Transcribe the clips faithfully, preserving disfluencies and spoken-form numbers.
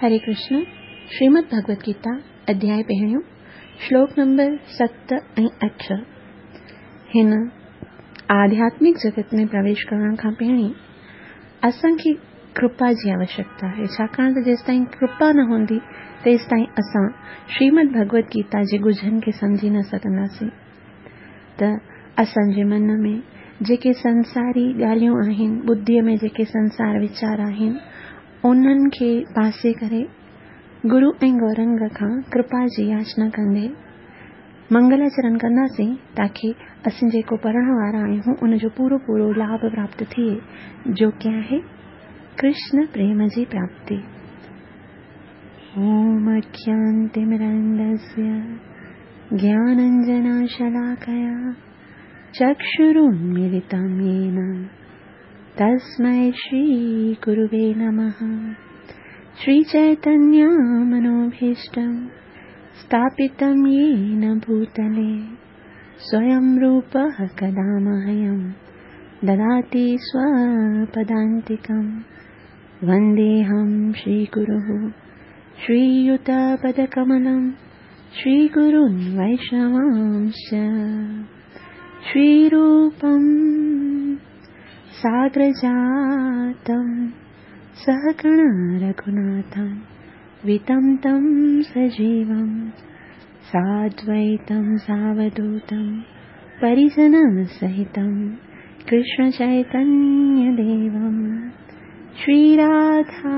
हरे कृष्ण। श्रीमद् भगवद गीता अध्याय पहिरियों श्लोक नंबर सत ऐं अठ। हिन आध्यात्मिक जगत में प्रवेश करण खां पहिरीं असांखे कृपा जी आवश्यकता आहे, छाकाणि त जेसिताईं कृपा न हूंदी तेसिताईं असां श्रीमद् भगवद गीता जे ॻुझनि खे सम्झी न सघंदासीं। त असांजे मन में जेके संसारी ॻाल्हियूं आहिनि, बुद्धीअ में जेके संसार वीचार आहिनि, उन्हनि खे पासे करे गुरु ऐं गौरंग खां कृपा जी याचना कंदे मंगलाचरण कंदासीं, ताकी असीं जेको पढ़ण वारा आहियूं उनजो पूरो पूरो लाभ प्राप्त थिए, जो की आहे कृष्ण प्रेम जी प्राप्ति। ओम अज्ञानतिमिरान्धस्य ज्ञानाञ्जनशलाकया चक्षुरुन्मीलितं येन तस्मै श्रीगुरुवे नमः। श्रीचैतन्यमनोभीष्टं स्थापितं येन भूतले स्वयं रूपः कदा मह्यं ददाति स्वपदान्तिकं। वन्देऽहं श्रीगुरुः श्रीयुतपदकमलं श्रीगुरून् वैष्णवांश्च। श्रीरूपं साग्रजातं सहगण रघुनाथं वितं तं सजीवं साद्वैतं सावधूतं परिजनसहितं कृष्णचैतन्यदेवं। श्रीराधा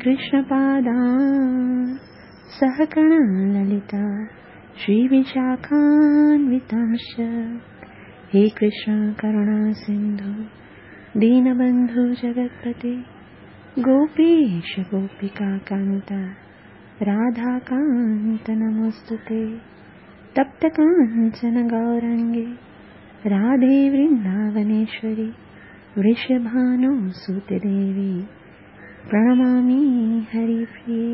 कृष्णपादां सहगण ललिता श्रीविशाखान्वितांश्च। हे कृष्ण करुणा सिन्धु दीनबन्धु जगत्पते गोपीश गोपिकान्त राधाकान्त नमोऽस्तुते। तप्तकाञ्चन गौराङ्गे राधे वृन्दावनेश्वरि वृषभानुसुते देवी प्रणमामि हरिप्रिये।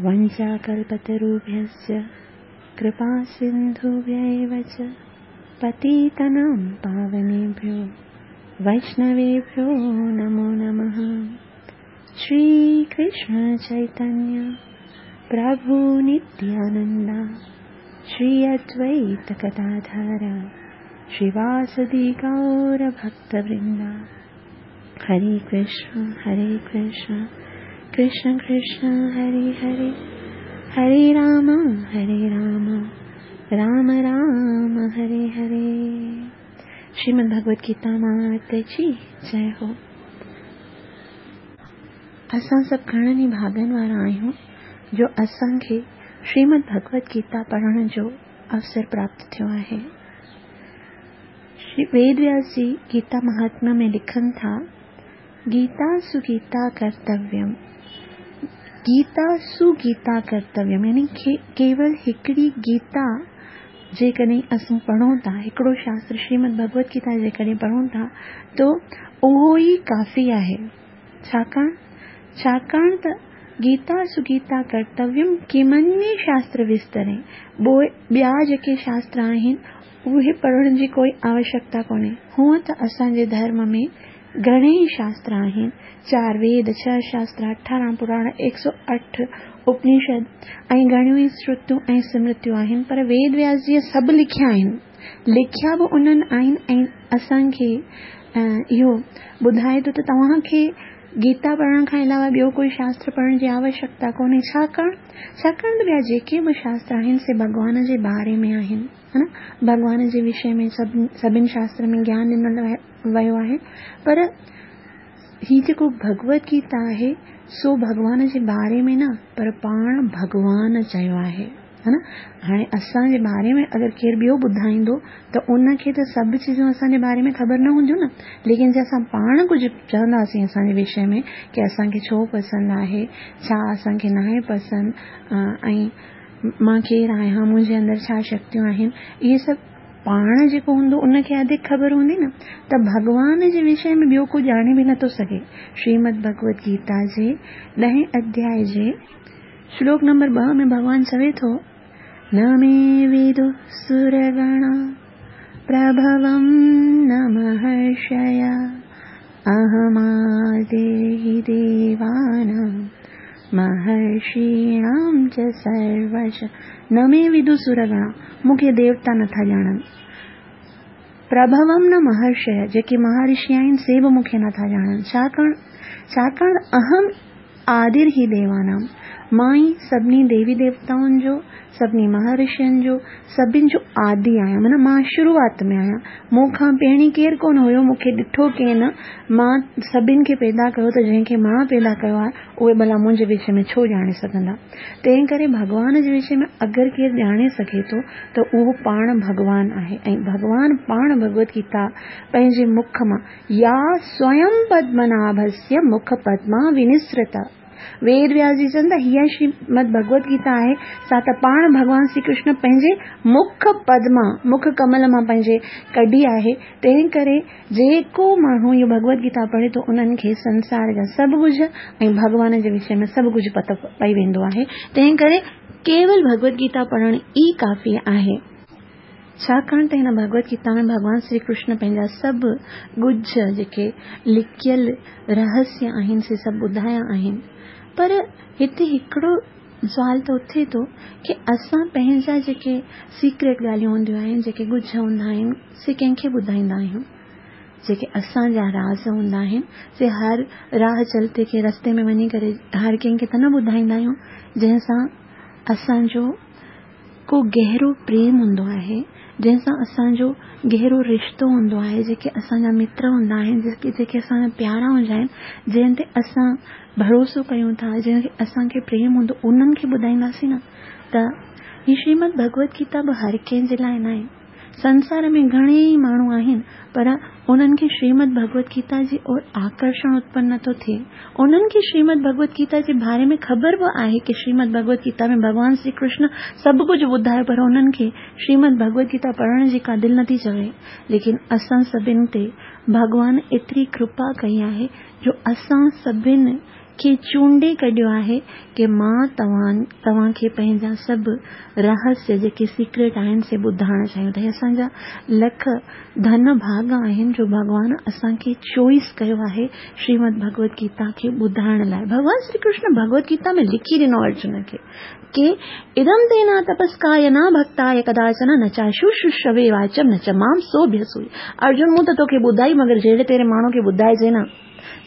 वञ्चाकल्पतरुभ्यश्च कृपासिन्धुभ्य एव च पतितानां पावनेभ्यो वैष्णवेभ्यो नमो नमः। श्रीकृष्ण चैतन्य प्रभु नित्यानंद श्री अद्वैत गदाधर श्रीवासदि गौर भक्तवृंद। हरे कृष्ण हरे कृष्ण कृष्ण कृष्ण हरे हरे, हरे राम हरे राम राम राम हरे हरे। श्रीमद् भगवद गीता माता जी जय हो। असां सभु घणनि ई भाॻनि वारा आहियूं जो असांखे श्रीमद् भगवद गीता पढ़ण जो अवसर प्राप्त थियो आहे। श्री वेद व्यास जी गीता महात्म्य में लिखनि था, गीता सुगीता कर्तव्यम। गीता सुगीता कर्तव्यम यानी केवल हिकिड़ी गीता जेकॾहिं असां पढ़ूं था, हिकिड़ो शास्त्र श्रीमद् भगवद गीता जेकॾहिं पढ़ूं था त उहो ई काफ़ी आहे। छाकाणि छाकाणि त गीता सुगीता कर्तव्यम किमन्य शास्त्र विस्तरे, ॿिया जेके शास्त्र आहिनि उहे पढ़ण जी कोई आवश्यकता कोन्हे। हूअं त असांजे धर्म में घणेई शास्त्र आहिनि, चार वेद, छह शास्त्र, अठारहं पुराण, एक सौ अठ उपनिषद ऐं घणियूं ई श्रुतियूं ऐं स्मृतियूं आहिनि, पर वेद व्यास जीअ सभु लिखिया आहिनि, लिखिया बि उन्हनि आहिनि ऐं असांखे इहो ॿुधाए थो त तव्हांखे गीता पढ़ण खां अलावा ॿियो कोई शास्त्र पढ़ण जी आवश्यकता कोन्हे। छाकाणि छाकाणि त ॿिया जेके बि शास्त्र आहिनि से भॻवान जे बारे में आहिनि, है न, भॻवान जे विषय में सभु सभिनी शास्त्र में ज्ञान ॾिनल वियो आहे, पर ही जेको भगवद गीता आहे सो भॻवान जे बारे में न पर पाण भॻवान चयो आहे, है न। हाणे असांजे बारे में अगरि केरु ॿियो ॿुधाईंदो त उनखे त सभु चीज़ूं असांजे बारे में ख़बर न हूंदियूं न, लेकिन जे असां पाण कुझु चवंदासीं असांजे विषय में की असांखे छो पसंदि आहे, छा असांखे नाहे पसंदि, ऐं मां केरु आहियां, मुंहिंजे अंदरि छा शक्तियूं आहिनि, इहे सभु पाण जेको हूंदो उनखे अधिक ख़बर हूंदी न, त भॻवान जे विषय में ॿियो को ॼाणे बि नथो सघे। श्रीमद् भगवद गीता जे ॾहें अध्याय जे श्लोक नंबर ॿ में भॻवान चवे थो, न मे विदुः सुरगणा प्रभवं न महर्षय अहमादिर्हि देवानां महर्षीणां च सर्वश न मे विदुः सुरगणा, मूंखे देवता नथा ॼाणनि। प्रभवं न महर्षय, जेके महर्षि आहिनि से बि मूंखे नथा ॼाणनि। छाकाणि छाकाणि अहम आदिर ही देवानां, मां ई सभिनी देवी देवताउनि जो, सभिनी महर्षियुनि जो, सभिनी जो आदि आहियां, माना मां शुरूआत में आहियां। मूंखां पहिरीं केरु कोन हुयो, मूंखे ॾिठो केन, मां सभिनी खे पैदा कयो, त जंहिंखे मां पैदा कयो आहे उहे भला मुंहिंजे विषय में छो ॼाणे सघंदा। तंहिं करे भॻवान जे विषय में अगरि केरु ॼाणे सघे थो त उहो पाण भॻवान आहे। ऐं भॻवान पाण भगवत गीता पंहिंजे मुख मां, या स्वयं पद्मनाभस्य मुख पद्मा विनिसृता। वेद व्यास जी चवनि था हीअ श्रीमद भगवत गीता आहे, सा त पाण भॻवान श्री कृष्ण पंहिंजे मुख पद्मा, मुख कमल मां पंहिंजे कढी आहे। तंहिं करे जेको माण्हू इहो भगवत गीता पढ़े थो उन्हनि खे संसार जा सभु कुझु ऐं भॻवान जे विषय में सभु कुझु पतो पई वेंदो आहे। तंहिं करे केवल भगवत गीता पढ़णु ई काफ़ी आहे। छाकाणि त हिन भगवत गीता में भॻवान श्री कृष्ण पंहिंजा सभु ॻुझ जेके लिकियल रहस्य आहिनि से सभु ॿुधाया आहिनि। पर हिते हिकिड़ो सुवाल त उथे थो की असां पंहिंजा जेके सीक्रेट ॻाल्हियूं हूंदियूं आहिनि, जेके ॻुझ हूंदा आहिनि, से कंहिंखे ॿुधाईंदा आहियूं? जेके असांजा राज़ हूंदा आहिनि से हर राह चलते खे रस्ते में वञी करे हर कंहिंखे त न ॿुधाईंदा आहियूं, जंहिंसां असांजो को गहरो प्रेम हूंदो आहे, जंहिंसां असांजो गहरो रिश्तो हूंदो आहे, जेके असांजा मित्र हूंदा आहिनि, जेके जेके असांजा प्यारा हूंदा आहिनि, जंहिं ते असां भरोसो कयूं था, जंहिंखे असांखे प्रेम हूंदो, उन्हनि खे ॿुधाईंदासीं न। त हीअ श्रीमद भगवत गीता बि हर कंहिंजे लाइ न आहे। संसार में घणेई माण्हू आहिनि, पर उन्हनि खे श्रीमद भगवत गीता जी ओर आकर्षण उत्पन्न नथो थिए। उन्हनि खे श्रीमद भगवत गीता जे बारे में ख़बर बि आहे की श्रीमद भगवत गीता में भॻवान श्री कृष्ण सभु कुझु ॿुधायो, पर उन्हनि खे श्रीमद भगवत गीता पढ़ण जी का दिलि नथी चवे। लेकिन असां सभिनी ते भॻवान एतिरी कृपा कई आहे जो असां सभिनी खे चूंडे कढियो आहे की मां तव्हां तव्हांखे पंहिंजा सभु रहस्य जेके सीक्रेट आहिनि से ॿुधाइण चाहियूं था। असांजा लख धन भाग आहिनि जो भॻवान असांखे चॉइस कयो आहे श्रीमद भगवत गीता खे ॿुधाइण लाइ। भॻवान श्री कृष्ण भगवत गीता में लिखी ॾिनो अर्जुन खे की इदं ते न तपस्काय न भक्ताय कदाचन न चाशुश्रूषवे वाचम न च मां सोऽभ्यसूय। अर्जुन मूं त तोखे ॿुधाई, मगर जहिड़े तहिड़े माण्हू खे ॿुधाइजे न,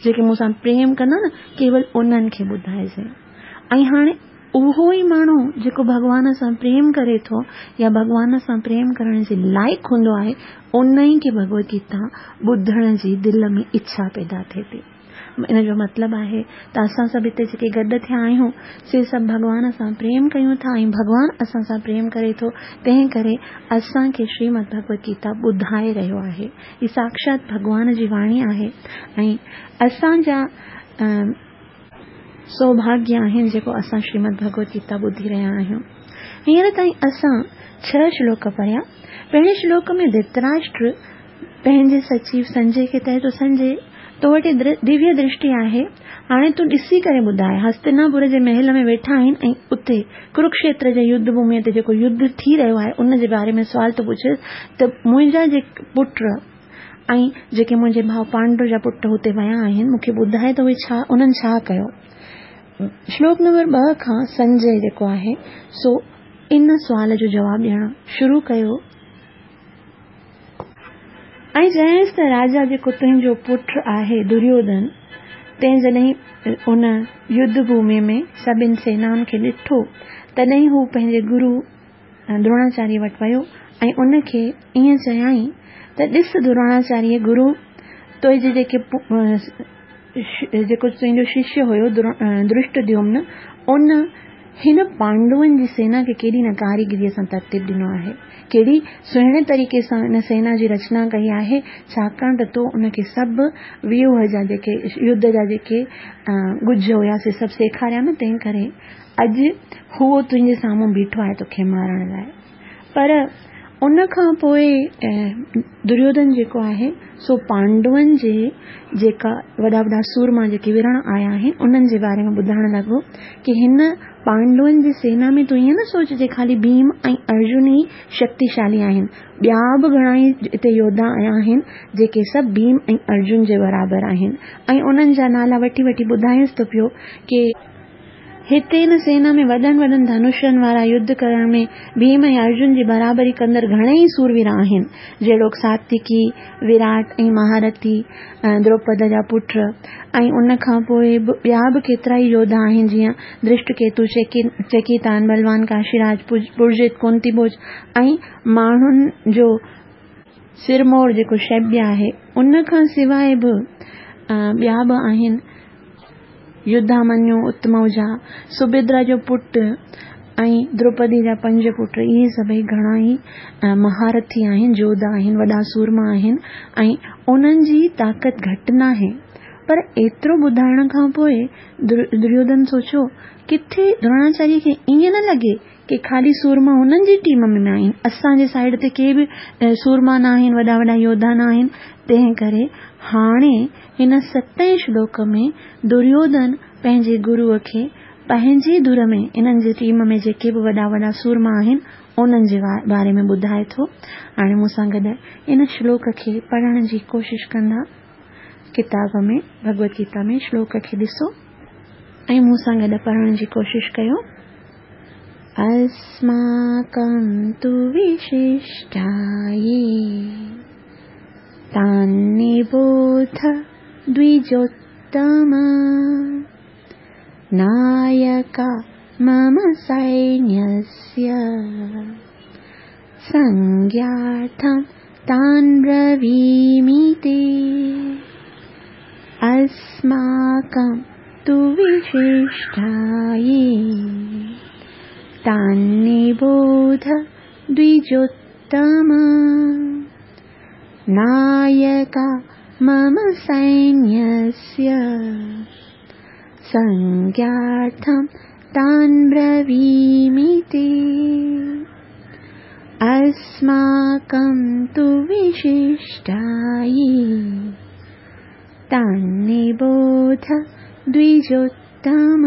जेके मूंसां प्रेम कंदा न, केवल उन्हनि खे ॿुधाइजे। ऐं हाणे उहो ई माण्हू जेको भॻवान सां प्रेम करे थो या भॻवान सां प्रेम करण जे लाइक़ हूंदो आहे, उन ई खे भगवत गीता ॿुधण जी दिलि में इच्छा पैदा थिए थी। इन जो मतिलबु आहे त असां सभु हिते जेके गॾु थिया आहियूं से सभु भॻवान सां प्रेम कयूं था ऐं भॻवान असां सां प्रेम करे थो, तंहिं करे असांखे श्रीमद भगवत गीता ॿुधाए रहियो आहे। हीअ साक्षात भॻवान जी वाणी आहे ऐं असांजा सौभाग्य आहिनि जेको असां श्रीमद भगवत गीता ॿुधी रहिया आहियूं। हींअर ताईं असां छह श्लोक पढ़िया। पहिरें श्लोक में धृतराष्ट्र पंहिंजे सचिव संजय खे चए थो, संजय तो वटि दिव्य दृष्टि आहे, हाणे तूं ॾिसी करे ॿुधाए। हस्तिनापुर जे महल में वेठा आहिनि ऐं उते कुरुक्षेत्र जे युद्ध भूमिअ ते जेको युद्ध थी रहियो आहे उन जे बारे में सुवाल थो पुछे त मुंहिंजा जेके पुट ऐं जेके मुंहिंजे भाउ पांडु जा पुट हुते विया आहिनि, मूंखे ॿुधाए त उहे छा उन्हनि छा कयो। श्लोक नंबर ॿ खां संजय जेको आहे सो इन सुवाल जो जवाबु ॾियणु शुरू कयो ऐं चयईंसि त राजा जेको तुंहिंजो पुट आहे दुर्योधन, तंहिं जॾहिं उन युद्ध भूमि में सभिनी सेनाउनि खे ॾिठो, तॾहिं हू पंहिंजे गुरू द्रोणाचार्य वटि वियो ऐं उनखे ईअं चयाईं त ॾिस द्रोणाचार्य गुरू, तुंहिंजे जेके जेको तुंहिंजो शिष्य हुयो धृष्टद्युम्न, उन हिन पांडवनि जी सेना खे केॾी न कारीगरीअ सां तरतीब ॾिनो आहे, केॾी सुहिणे तरीक़े सां हिन सेना जी रचना कई आहे, छाकाणि त तो उनखे सभु व्यूह जा जेके युद्ध जा जेके ॻुझ हुया से सभु सेखारिया न, तंहिं करे अॼु हू तुंहिंजे साम्हूं बीठो आहे तोखे मारण लाइ। पर उन खां पोइ दुर्योधन जेको आहे सो पांडवनि जे जेका वॾा वॾा सूरमा जेके विढ़ण आया आहिनि उन्हनि जे बारे में ॿुधाइण लॻो की हिन पांडवनि जी सेना में तूं ईअं न सोचजे ख़ाली भीम ऐं अर्जुन ई शक्तिशाली आहिनि, ॿिया बि घणा ई हिते योद्धा आया आहिनि जेके सभु भीम ऐं अर्जुन जे बराबरि आहिनि। ऐं उन्हनि जा नाला वठी वठी ॿुधाएसि थो पियो की हिते हिन सेना में वॾनि वॾनि धनुषनि वारा युद्ध करण में भीम ऐं अर्जुन जी बराबरी कंदड़ घणेई सूरवीर आहिनि, जहिड़ोक सात्विकी, विराट ऐं महारथी, द्रौपद जा पुट ऐं उन खां पोइ ॿिया बि केतिरा ई योद्धा आहिनि, जीअं दृष्टकेतु, चेकीतान, बलवान काशीराज, पुरजित, कुंतीभोज ऐं माण्हुनि जो सिरमौर जेको शैब्य आहे। उन खां सवाइ बि ॿिया बि आहिनि, युद्धामन्यु, उत्तमौजा, सुभद्रा जो पुट ऐं द्रौपदी जा पंज पुट। इहे सभई घणा ई महारथी आहिनि, योद्धा आहिनि, वॾा सूरमा आहिनि ऐं उन्हनि जी ताक़त घटि नाहे। पर एतिरो ॿुधाइण खां पोइ दुर्योधन सोचियो किथे द्रोणाचार्य खे ईअं न लॻे की ख़ाली सूरमा हुननि जी टीम में आहिनि, असांजे साइड ते के बि सूरमा न आहिनि, वॾा वॾा योद्धा न आहिनि। तंहिं करे हाणे हिन सतें श्लोक में दुर्योधन पंहिंजे गुरूअ खे पंहिंजी धुर में इन्हनि जी टीम में जेके बि वॾा वॾा सूरमा आहिनि उन्हनि जे बारे में ॿुधाए थो। हाणे मूंसां गॾु इन श्लोक खे पढ़ण जी कोशिशि कंदा। किताब में भगवत गीता में श्लोक खे ॾिसो ऐं मूंसां गॾु पढ़ण जी कोशिशि कयो। अस्माकं तु विशिष्टाये तान्निबोध द्विजोत्तम नायका मम सैन्यस्य संज्ञार्थं तान् ब्रवीमि ते। अस्माकं तु विशिष्टाये तान्निबोध द्विजोत्तम नायका मम सैन्यस्य संज्ञार्थं तान् ब्रवीमि ते। अस्माकं तु विशिष्टाये तान्निबोध द्विजोत्तम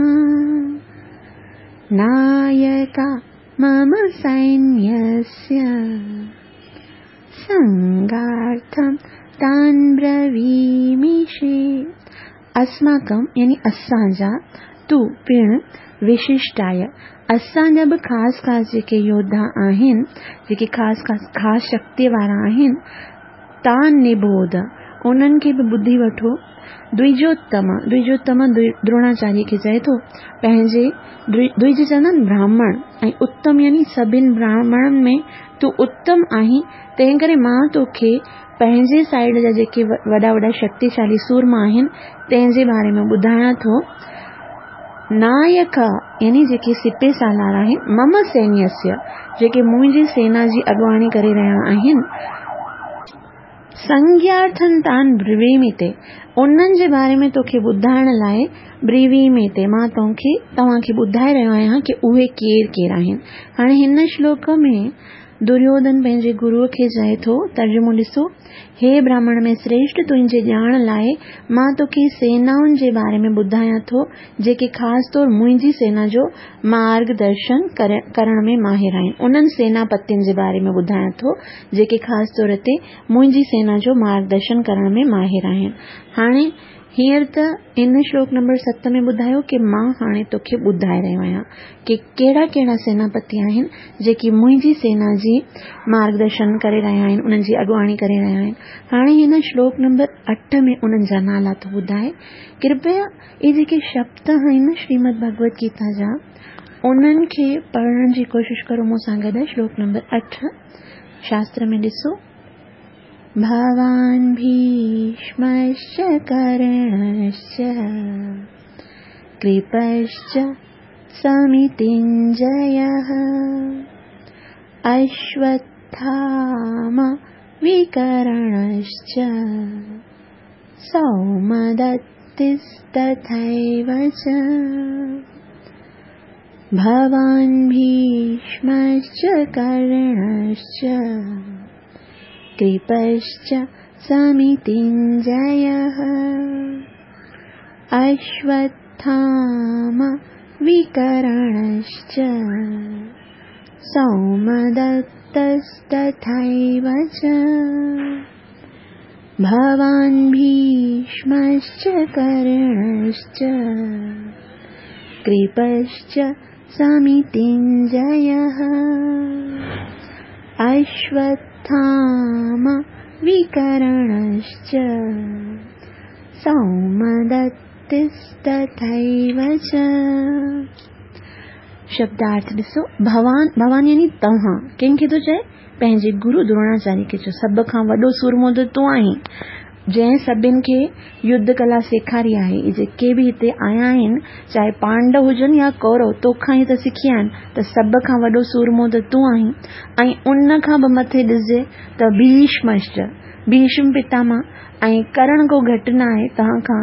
नायका मम सैन्यस्य संगार्थं तान् ब्रवीमि। अस्माकं यानी असांजा, तू पिण, विशिष्टाय असांजा बि ख़ासि ख़ासि जेके योद्धा आहिनि, जेके ख़ासि ख़ासि ख़ासि शक्ति वारा आहिनि, तान निबोध उन्हनि खे बि ॿुधी वठो। द्विजोत्तम, द्विजोत्तम द्रोणाचार्य खे चए थो पंहिंजे, द्विज चवंदा आहिनि ब्राह्मण ऐं उत्तम यानी सभिनी ब्राह्मणनि में तूं उत्तम आहीं, तंहिं करे मां तोखे पंहिंजे साइड जा जेके वॾा वॾा शक्तिशाली सूरमा आहिनि तंहिंजे बारे में ॿुधायां थो। नायक यानी जेके सिपे सालार आहिनि, मम सैन्यस्य जेके मुंहिंजी सेना जी अॻुवाणी करे रहिया आहिनि, संज्ञार्थन तान ब्रवीमि ते उन्हनि जे बारे में तोखे ॿुधाइण लाइ ब्रवीमि ते मां तोखे तव्हांखे ॿुधाए रहियो आहियां की उहे केरु केरु आहिनि। हाणे हिन श्लोक में दुर्योधन पंहिंजे गुरूअ खे चए थो, तर्जुमो ॾिसो, हे ब्राह्मण में श्रेष्ठ, तुंहिंजे ॼाण लाइ मां तोखे सेनाउनि जे बारे में ॿुधायां थो जेके ख़ासि तौर मुंहिंजी सेना जो मार्गदर्शन करण में माहिर आहिनि। उन्हनि सेनापतियुनि जे बारे में ॿुधायां थो जेके ख़ासि तौर ते मुंहिंजी सेना जो मार्गदर्शन करण में माहिर आहिनि। हाणे हींअर त इन श्लोक नंबर सत में ॿुधायो की मां हाणे तोखे ॿुधाए रहियो आहियां की कहिड़ा कहिड़ा सेनापति आहिनि जेके मुंहिंजी सेना जी मार्गदर्शन करे रहिया आहिनि, उन्हनि जी अॻुवाणी करे रहिया आहिनि। हाणे हिन श्लोक नंबर अठ में उन्हनि जा नाला थो ॿुधाए। कृपया इहे जेके शब्द आहिनि श्रीमद भगवत गीता जा उन्हनि खे पढ़ण जी कोशिशि करो मूंसां गॾु। श्लोक नंबर अठ शास्त्र में ॾिसो, भवान् भीष्मश्च कर्णश्च कृपश्च समितिञ्जयः अश्वत्थामा विकर्णश्च सौमदत्तिस्तथैव च। भवान् भीष्मश्च कर्णश्च कृपश्च समितिञ्जयः अश्वत्थामा विकर्णश्च सौमदत्तस्तथैव च। भवान् भीष्मश्च कर्णश्च कृपश्च समितिञ्जयः अश्वत्थामा विकर्णश्च सौमदत्तिस्तथैव च। शब्दार्थ ॾिसो, भवान भवान यानी तव्हां कंहिंखे थो चए? पंहिंजे गुरू द्रोणाचार्य खे चयो, सभ खां वॾो सूरमो त तूं आहीं जंहिं सभिनि खे युद्ध कला सेखारी आहे। इहे जेके बि हिते आया आहिनि, चाहे पांडव हुजनि या कौरव, तोखां ई त सिखिया आहिनि, त सभ खां वॾो सूरमो त तूं आहीं। ऐं उन खां बि मथे ॾिसजे त भीष्मश्च, भीष्म पितामह ऐं करण को घटि न आहे, तव्हां खां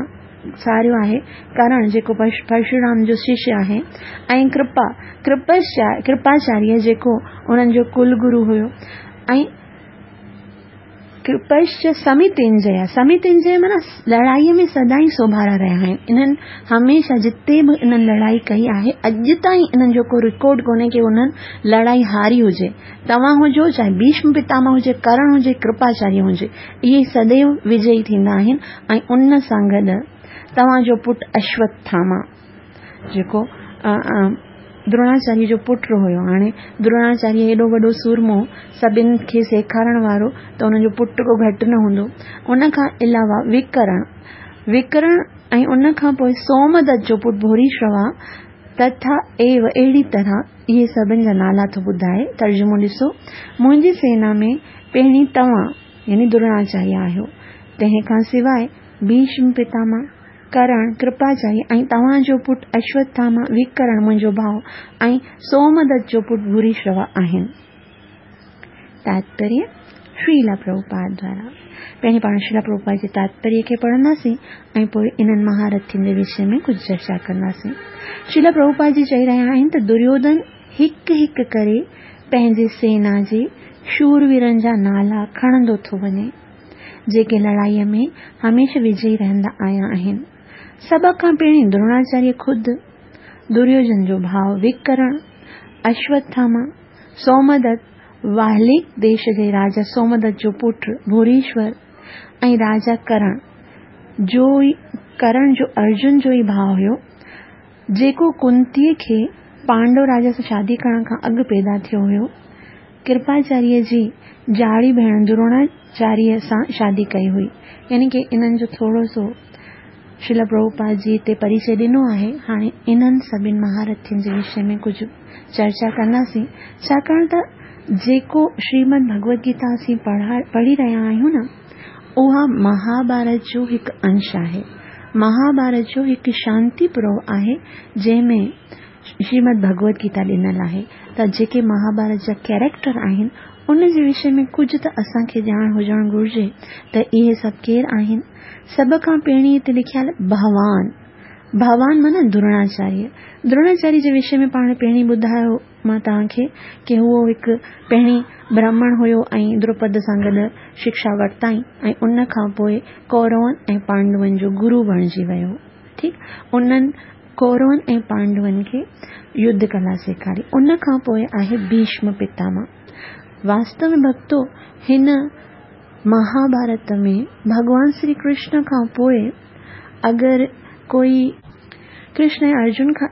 सारियो आहे करण जेको परशुराम जो शिष्य आहे, ऐं कृपा कृपाचार्य जेको उन्हनि जो कुलगुरू हुयो, ऐं कृपश्च समितिंजय, समितिंजय माना लड़ाईअ में सदाई सोभारा रहिया आहिनि। इन्हनि हमेशह जिते बि इन्हनि लड़ाई कई आहे, अॼु ताईं इन्हनि जो को रिकॉर्ड कोन्हे की उन्हनि लड़ाई हारी हुजे। तव्हां हुजो, चाहे भीष्म पितामह हुजे, करण हुजे, कृपाचार्य हुजे, इहे सदैव विजयी थींदा आहिनि। ऐं उन सां गॾु तव्हांजो पुटु अश्वत्थामा जेको द्रोणाचार्य जो पुटु हुयो। हाणे द्रोणाचार्य एॾो वॾो सूरमो सभिनि खे सेखारण वारो, त हुनजो पुटु को घटि न हूंदो। उन खां अलावा विकरण विकरण ऐं उन खां पोइ सोमदत्त जो पुटु भूरिश्रवा तथा एव, अहिड़ी तरह इहे सभिनि जा नाला थो ॿुधाए। तर्जुमो ॾिसो, मुंहिंजी सेना में पहिरीं तव्हां यानी द्रोणाचार्य आहियो, तंहिं खां सवाइ भीष्म पितामह, करण, कृपाचार्य ऐं तव्हांजो पुटु अश्वत्थामा, विकरण मुंहिंजो भाउ ऐं सोमदत्त जो पुटु भूरिश्रवा आहिनि। तात्पर्य श्रीला प्रभुपाद द्वारा। पहिरीं पाण श्रीला प्रभुपाद जे तात्पर्य खे पढ़ंदासीं ऐं पोइ इन्हनि महारथियुनि जे विषय में कुझु चर्चा कंदासीं। श्रीला प्रभुपाद जी चई रहिया आहिनि त दुर्योधन हिकु हिकु करे पंहिंजी सेना जे शूरवीरनि जा नाला खणंदो थो वञे, जेके लड़ाईअ में हमेशह विजयी रहंदा आया आहिनि। सभ खां पहिरीं द्रोणाचार्य ख़ुदि, दुर्योधन जो भाउ विकर्ण, अश्वत्थामा, सोमदत्त, वाहलिक देश जे राजा सोमदत्त जो पुटु भूरीश्वर ऐं राजा करण जो ई करण जो अर्जुन जो ई भाउ हुयो, जेको कुंतीअ खे पांडव राजा सां शादी करण खां अॻु पैदा थियो हुयो। कृपाचार्य जी जाड़ी भेण द्रोणाचार्य सां शादी कई हुई। यानी की इन्हनि जो थोरो सो श्रील प्रभुपाद जी हिते परिचय ॾिनो आहे। हाणे इन्हनि सभिनि महारथियुनि जे विषय में कुझु चर्चा कंदासीं, छाकाणि त जेको श्रीमद भगवद गीता असीं पढ़ा पढ़ी रहिया आहियूं न, उहा महाभारत जो हिकु अंश आहे, महाभारत जो हिकु शांति पर्व आहे, जंहिंमें श्रीमद भगवद गीता ॾिनल आहे। त जेके महाभारत जा कैरेक्टर आहिनि उन जे विषय में कुझु त असांखे ॼाण हुजणु घुरिजे त इहे सभु केरु आहिनि। सभ खां पहिरीं हिते लिखियल भवान, भवान माना द्रोणाचार्य। द्रोणाचार्य जे विषय में पाण पहिरीं ॿुधायो मां तव्हांखे की उहो हिकु पहिरीं ब्राह्मण हुयो ऐं द्रौपद सां गॾु शिक्षा वरिताईं ऐं उन खां पोइ कौरवनि ऐं पांडवनि जो गुरू बणिजी वियो। ठीकु, उन्हनि कौरवनि ऐं पांडवनि खे युद्ध कला सेखारी। उन खां पोइ आहे भीष्म पितामह। वास्तव में भक्तो, हिन महाभारत में भॻवान श्री कृष्ण खां पोइ अगरि कोई कृष्ण ऐं अर्जुन खां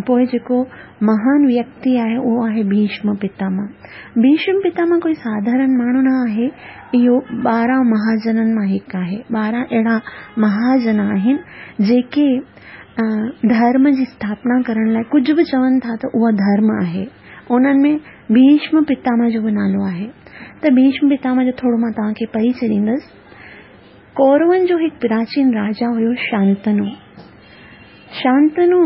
पोइ जेको महान व्यक्ति आहे उहो आहे भीष्म पितामह। भीष्म पितामह कोई साधारण माण्हू न आहे, इहो ॿारहं महाजननि मां हिकु आहे। ॿारहं अहिड़ा महाजन आहिनि जेके धर्म जी स्थापना करण लाइ कुझु बि चवनि था त उहो धर्म आहे। उन्हनि में भीष्म पितामह जो बि नालो आहे। त भीष्म पितामह जो थोरो मां तव्हांखे परिचय ॾींदसि। कौरवनि जो हिकु प्राचीन राजा हुयो शांतनु। शांतनु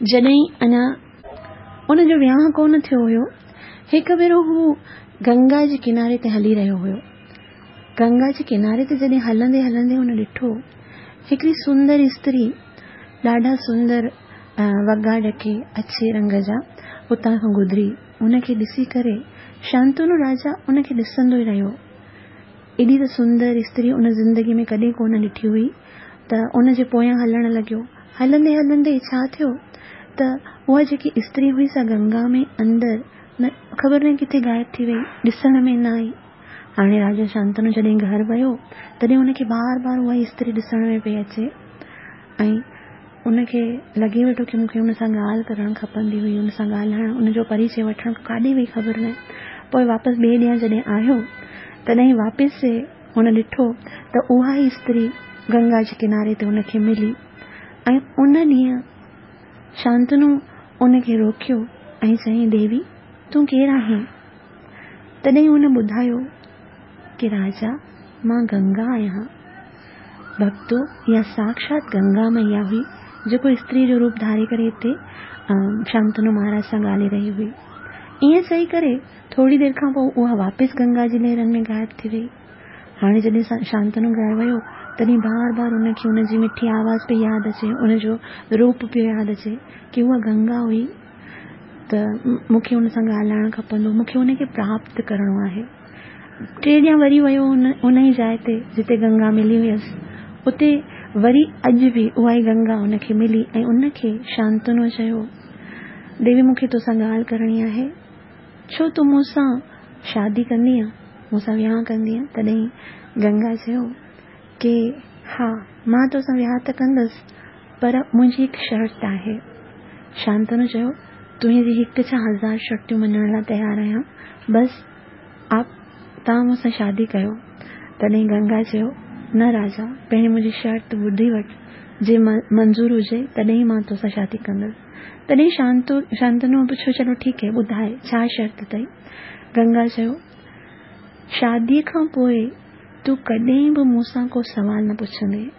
जॾहिं अञा उनजो विहाउ कोन थियो हुयो, हिकु भेरो हू गंगा जे किनारे ते हली रहियो हुयो। गंगा जे किनारे ते जॾहिं हलंदे हलंदे हुन ॾिठो हिकिड़ी सुंदर स्त्री, ॾाढा सुंदर वॻा ढके अच्छे रंग जा उतां खां गुज़री। उनखे ॾिसी करे शांतनु राजा उनखे ॾिसंदो ई रहियो। एॾी त सुंदर स्त्री उन ज़िंदगी में कॾहिं कोन ॾिठी हुई, त उनजे पोयां हलणु लॻियो। हलंदे हलंदे छा थियो त उहा जेकी स्त्री हुई सा गंगा में अंदरि न ख़बर न किथे ग़ाइब थी वई, ॾिसण में न आई। हाणे राजा शांतनु जॾहिं घर वियो तॾहिं हुनखे बार बार उहा स्त्री ॾिसण में पई अचे ऐं ان کي لڳي ويٺو ڪه مون کي ان سان ڳالهه ڪرڻ کپندي هئي، ان سان ڳالهائڻ، ان جو پريچي وٺڻ، ڪاڏي وئي خبر نه. پوءِ واپس ٻئي ڏينهن جڏهن آيو تڏهن واپس هن ڏٺو ته اها ئي استري گنگا جي ڪناري تي ان کي ملي ۽ ان ڏينهن شانتنو ان کي روڪيو ۽ چيائين، ديوي تون ڪير آهين؟ تڏهن هن ٻڌايو ڪه راجا مان گنگا آهيان. ڀڳتو، اها ساڪشات گنگا مئيا هئي جيڪو استري جو روپ ڌاري ڪري هتي شانتنو مهاراج سان ڳالهائي رهي هئي. ائين چئي ڪري ٿوري دير کان پوءِ اها واپس گنگا جي لهرن ۾ غائب ٿي وئي. هاڻي جڏهن شانتنو گهر ويو تڏهن بار بار ان کي ان جي مٺي آواز پئي ياد اچي، ان جو روپ پيو ياد اچي ڪه اها گنگا هئي ته مون کي ان سان ڳالهائڻ کپندو، مون کي ان کي پراپت ڪرڻو آهي. ٽي ڏينهن وري ويو ان ان ئي جاءِ تي جتي گنگا ملي هيس، اتي وري اڄ به اها ئي گنگا ان کي ملي ۽ ان کي شانتنو چيو، ديوي مون کي تو سان ڳالهه ڪرڻي آهي، ڇو تون مون سان شادي ڪندينءَ، مون سان وهانءُ ڪندينءَ؟ تڏهن گنگا چيو ڪه ها مان تو سان وهانءُ ته ڪندس، پر منهنجي هڪ شرط آهي. شانتنو چيو، تنهنجي هڪ ڇا هزار شرطيون مڃڻ لاءِ تيار آهيان، بس آپ توهان مون سان شادي ڪيو. تڏهن گنگا چيو، نه راجا، پهرين منهنجي شرط ٻڌي وٺ، جي منظور هجي تڏهن مان تو سان شادي ڪندس. تڏهن شانتو شانتنو پڇيو، چلو ٺيڪ آهي، ٻڌائي ڇا شرط اٿئي؟ گنگا چيو، شاديءَ کان پوءِ تون ڪڏهن به مون سان ڪو سوال نه پڇندين،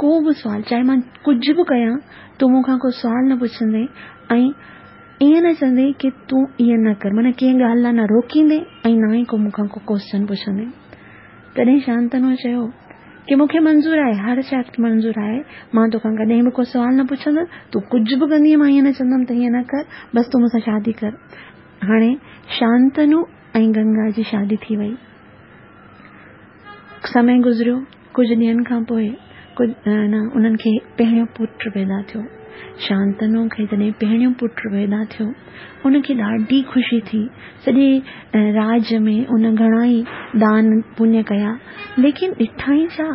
ڪو به سوال، چاهي مان ڪجهه به ڪيان، تون مون کان ڪو سوال نه پڇندين ۽ ائين نه چوندين ڪه تون ائين نه ڪر، معنيٰ ڪنهن ڳالهه لاءِ نه روڪيندين ۽ نه ئي ڪو مون کان ڪو ڪوئسچن پڇندين. تڏهن شانتنو چيو ڪه مون کي منظور آهي، هر شرط منظور آهي، مان توکان ڪڏهن به ڪو سوال نه پڇندس، تون ڪجهه به ڪندينءَ مان ائين نه چوندم ته هيئن نه ڪر، بس تون مون سان شادي ڪر. هاڻي شانتنو ۽ گنگا جي شادي ٿي وئي. سمي گذريو، ڪجهه ڏينهن کان پوءِ ڪجهه نه انهن کي پهريون پٽ پيدا ٿيو. شانتنو کي جڏهن پهريون پٽ پيدا ٿيو ان کي ڏاڍي خوشي ٿي. سڄي راج ۾ ان گهڻا ئي دان پڃ ڪيا، ليڪن ڏٺائين ڇا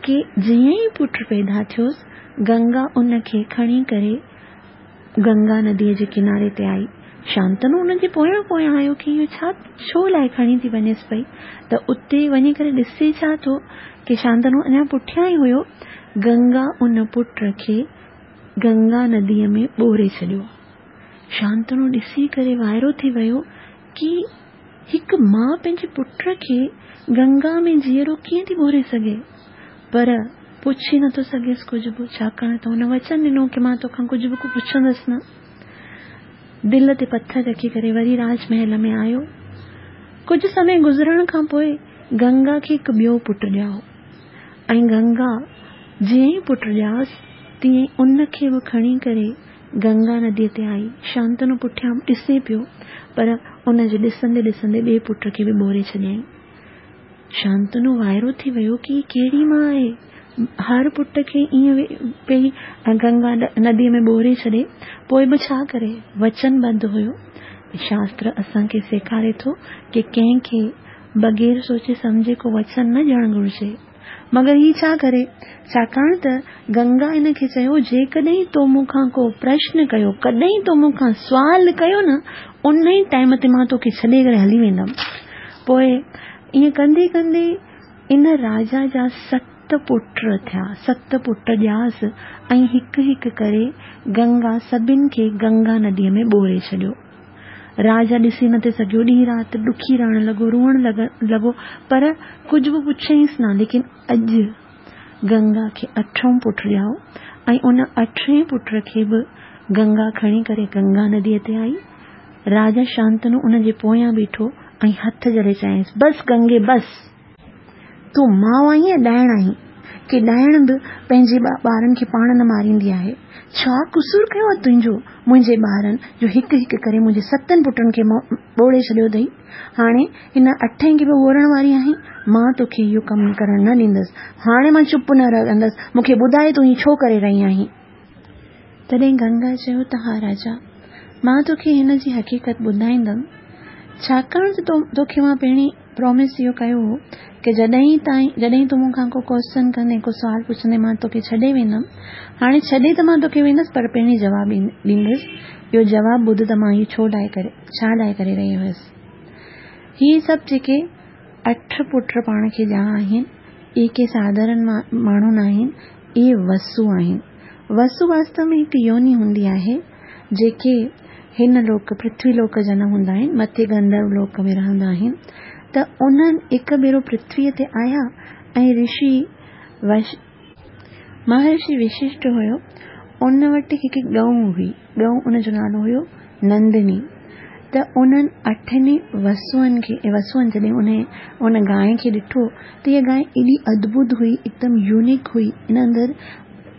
ڪه جيئن ئي پٽ پيدا ٿيوس گنگا ان کي کڻي ڪري گنگا نديءَ جي ڪناري تي آئي. شانتنو ان جي پويان پويان آيو ڪه اهو ڇا ڇو لاءِ کڻي ٿي وڃيس پئي؟ ته اتي وڃي ڪري ڏسي ڇا ٿو ڪه شانتنو اڃا پٺيان ئي هيو، گنگا ان پٽ کي گنگا نديءَ ۾ ٻوڙي ڇڏيو. شانتنو ڏسي ڪري وائرو ٿي ويو ڪه هڪ ماءُ پنهنجي پٽ کي گنگا ۾ جيئرو ڪيئن ٿي ٻوڙي سگهي؟ پر پڇي نٿو سگهيس ڪجهه به، ڇاڪاڻ ته هن وچن ڏنو ڪه مان توکان ڪجهه به پڇندس نه. دل تي پٿر رکي ڪري وري راج محل ۾ آيو. ڪجهه سمي گذرڻ کان پوءِ گنگا کي هڪ ٻيو پٽ ڄائو ۽ گنگا جيئن ئي پٽ ڄائس تيئن ان کي به کڻي ڪري گنگا نديءَ تي آئي. شانتنو پٺيان ڏسي پيو، پر ان جي ڏسندي ڏسندي ٻئي پٽ کي به ٻوڙي ڇڏيائين. شانتنو وائرو ٿي ويو ڪه ڪهڙي ماءُ آهي، هر پٽ کي ائين پئي گنگا نديءَ ۾ ٻوڙي ڇڏي، پوءِ به ڇا ڪري، وچن بند هيو. شاستر اسان کي سيکاري ٿو ڪه ڪنهن کي بغير سوچي سمجهي ڪو وچن نه ڏيڻ گهرجي. مگر هي ڇا ڪري، ڇاڪاڻ ته گنگا هن کي چيو، جيڪڏهن تو مون کان ڪو پرشن ڪيو، ڪڏهن تو مون کان سوال ڪيو نه، ان ئي ٽائيم تي مان توکي ڇڏي ڪري هلي ويندم. پوءِ ائين ڪندي ڪندي ان راجا جا ست پٽ ٿيا، ست پٽ ڄاس ۽ هڪ هڪ ڪري گنگا سڀني کي گنگا نديءَ ۾ ٻوڙي ڇڏيو. راجا ڏسي نٿي سگهيو، ڏينهن رات ڏکي رهڻ لڳو، روئڻ لڳو، پر ڪجهه به پڇيائينس نه. ليڪن اڄ گنگا کي اٺون پٽ ڄائو ۽ ان اٺين پٽ کي به گنگا کڻي ڪري گنگا نديءَ تي آئي. راجا شانتنو ان جي پويان بيٺو ۽ هٿ جهلي چيائينس، بس گنگي بس، تون ماءُ آهين يا ڏائڻ آهين ڪه ڏائڻ به پنهنجي ٻارن کي پاڻ نه ماريندي آهي؟ ڇا قصور ڪيو آهي تنهنجو منهنجي ٻارن جو هڪ هڪ ڪري منهنجي ستن پٽن کي ٻوڙي ڇڏيو اٿئي؟ هاڻي هن اٺين کي به ٻوڙڻ واري آهين؟ مان توکي اهو ڪم ڪرڻ نه ڏيندس. هاڻي مان چپ نه رهندس، مون کي ٻڌائي تون هيءُ ڇو ڪري رهي آهين؟ تڏهن گنگا چيو ته ها راجا، مان توکي هن جي حقيقت ٻڌائيندم، ڇاڪاڻ ته توکي مان پهرين پرامس اهو ڪيو هو ڪه جڏهن تائين جڏهن تون مون کان ڪو ڪوئسچن ڪندين، ڪو سوال پڇندين، مان توکي ڇڏي ويندم. هاڻي ڇڏي ته مان توکي ويندس پر پهرين جواب ڏيندس. اهو جواب ٻڌ ته مان اهو ڇو لاءِ ڪري ڇا لاءِ ڪري رهي هيس. هي سڀ جيڪي اٺ پٽ پاڻ کي ڄا آهن، اهي ڪي ساڌارڻ ماڻهو نه آهن، اهي وسو آهن. وسو واستو ۾ هڪ يوني هوندي آهي جيڪي هن لوڪ پرٿوي لوڪ جا نه هوندا آهن، مٿي گنڌرو لوڪ ۾ رهندا آهن. ته انهن هڪ ڀيرو پرٿويءَ تي آيا ۽ رشي وش مهرشي وششٽ هيو، ان وٽ هڪ ڳئون هئي، ڳئون ان جو نالو هيو نندني. ته انهن اٺن وسوئن کي وسوئن جڏهن ان ان گانءِ کي ڏٺو ته اها گانءِ ايڏي ادڀت هئي، هڪدم يونيڪ هئي، ان اندر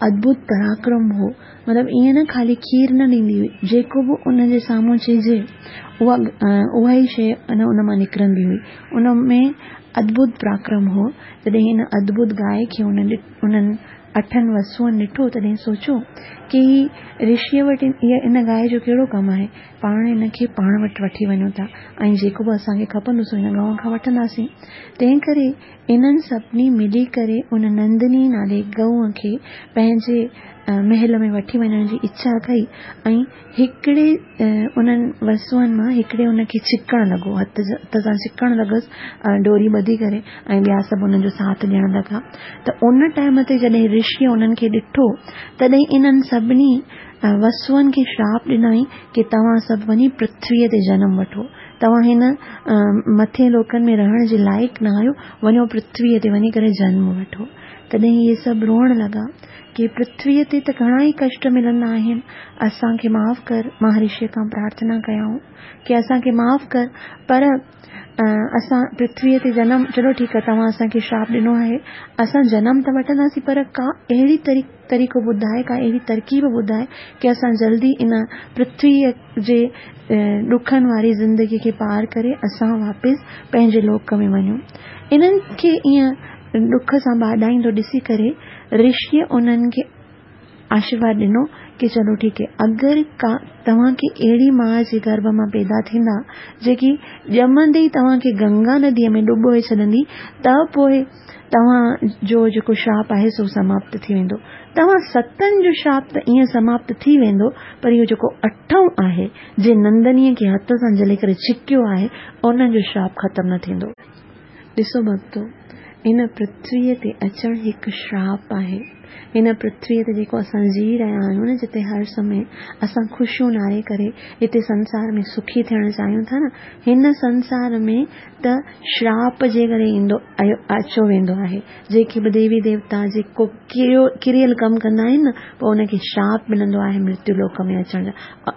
ادڀت پراڪرم هو. مطلب ائين نه خالي کير نه ڏيندي هئي، جيڪو به ان جي سامهون چئجي اها اها ئي شيءِ ان ان مان نڪرندي هئي. ان ۾ ادڀت پراڪرم هو. جڏهن هن ادڀت گانءِ کي انهن اٺن وسوئن ڏٺو تڏهن سوچيو ڪه هي رشيءَ وٽ اها ان گانءِ جو ڪهڙو ڪم آهي، پاڻ هن کي پاڻ وٽ وٺي وڃون ٿا ۽ جيڪو به اسان کي کپندو سو هن گانءُ کان وٺنداسين. تنهن ڪري انهن سڀني ملي ڪري ان نندني نالي گئونءَ کي پنهنجي محل ۾ وٺي وڃڻ جي اڇا ڪئي ۽ هڪڙي انهن وسوئن مان هڪڙي ان کي ڇڪڻ لڳو، هٿ هٿ سان ڇڪڻ لڳس ڏوري ٻڌي ڪري ۽ ٻيا سڀ انهن جو ساٿ ڏيڻ لڳا. ته ان ٽائيم تي جڏهن رشيءَ انهن کي ڏٺو تڏهن انهن سڀني وسوئن کي شراپ ڏنائين ڪه توهان سڀ وڃي پرٿويءَ تي جنم وٺو، توهان هن مٿي لوڪن ۾ رهڻ جي لائق نه آهيو، وڃو پرٿويءَ تي وڃي ڪري جنم وٺو. تڏهن اهي سڀ روئڻ لڳا ڪه پرٿويءَ تي ته گهڻا ئي ڪشٽ ملندا آهن، اسان کي معاف ڪر. مهارشيءَ کان پرارٿنا ڪيائون ڪه اسان کي معاف ڪر، پر اسان پرٿويءَ تي جنم، چلو ٺيڪ آهي توهان اسان کي شراپ ڏنو آهي، اسان جنم ته وٺنداسين پر ڪا اهڙي طريقو ٻڌائي، ڪا اهڙي ترڪيب ٻڌائي ڪه اسان جلدي ان پرٿويءَ جي ڏکن واري زندگيءَ کي پار ڪري اسان واپس پنهنجي لوڪ ۾ وڃون. انهن کي ائين ڏک سان ٻاڏائيندو ڏسي ڪري رشيءَ انهن کي آشيرواد ڏنو ڪه چلو ٺيڪ آهي، اگر ڪا توهان کي اهڙي ماءُ جي گرڀ مان پيدا ٿيندا جيڪي ڄمندي ئي توهان کي گنگا نديءَ ۾ ڊبوئي ڇڏندي ته پوءِ توهان جو جيڪو شراپ آهي سو سماپت ٿي ويندو. توهان ستن جو شراپ ته ائين سماپت ٿي ويندو، پر اهو جيڪو اٺون آهي جنهن نندنيءَ کي هٿ سان جهلي ڪري ڇڪيو آهي، انهن جو شراپ ختم نه ٿيندو. ڏسو ڀڳتو، هن پرٿويءَ تي اچڻ هڪ شراپ آهي. هن پرٿويءَ تي جيڪو اسان جي رهيا آهيون نه، جتي هر سمي اسان خوشيون ناري ڪري هتي سنسار ۾ سکي ٿيڻ چاهيون ٿا نه، هن سنسار ۾ ته شراپ جي ڪري ايندو اچو ويندو آهي. جيڪي به ديوي ديوتا جيڪو ڪريو ڪريل ڪم ڪندا آهن نه، پوءِ ان کي شراپ ملندو آهي مرتيو لوڪ ۾ اچڻ جو.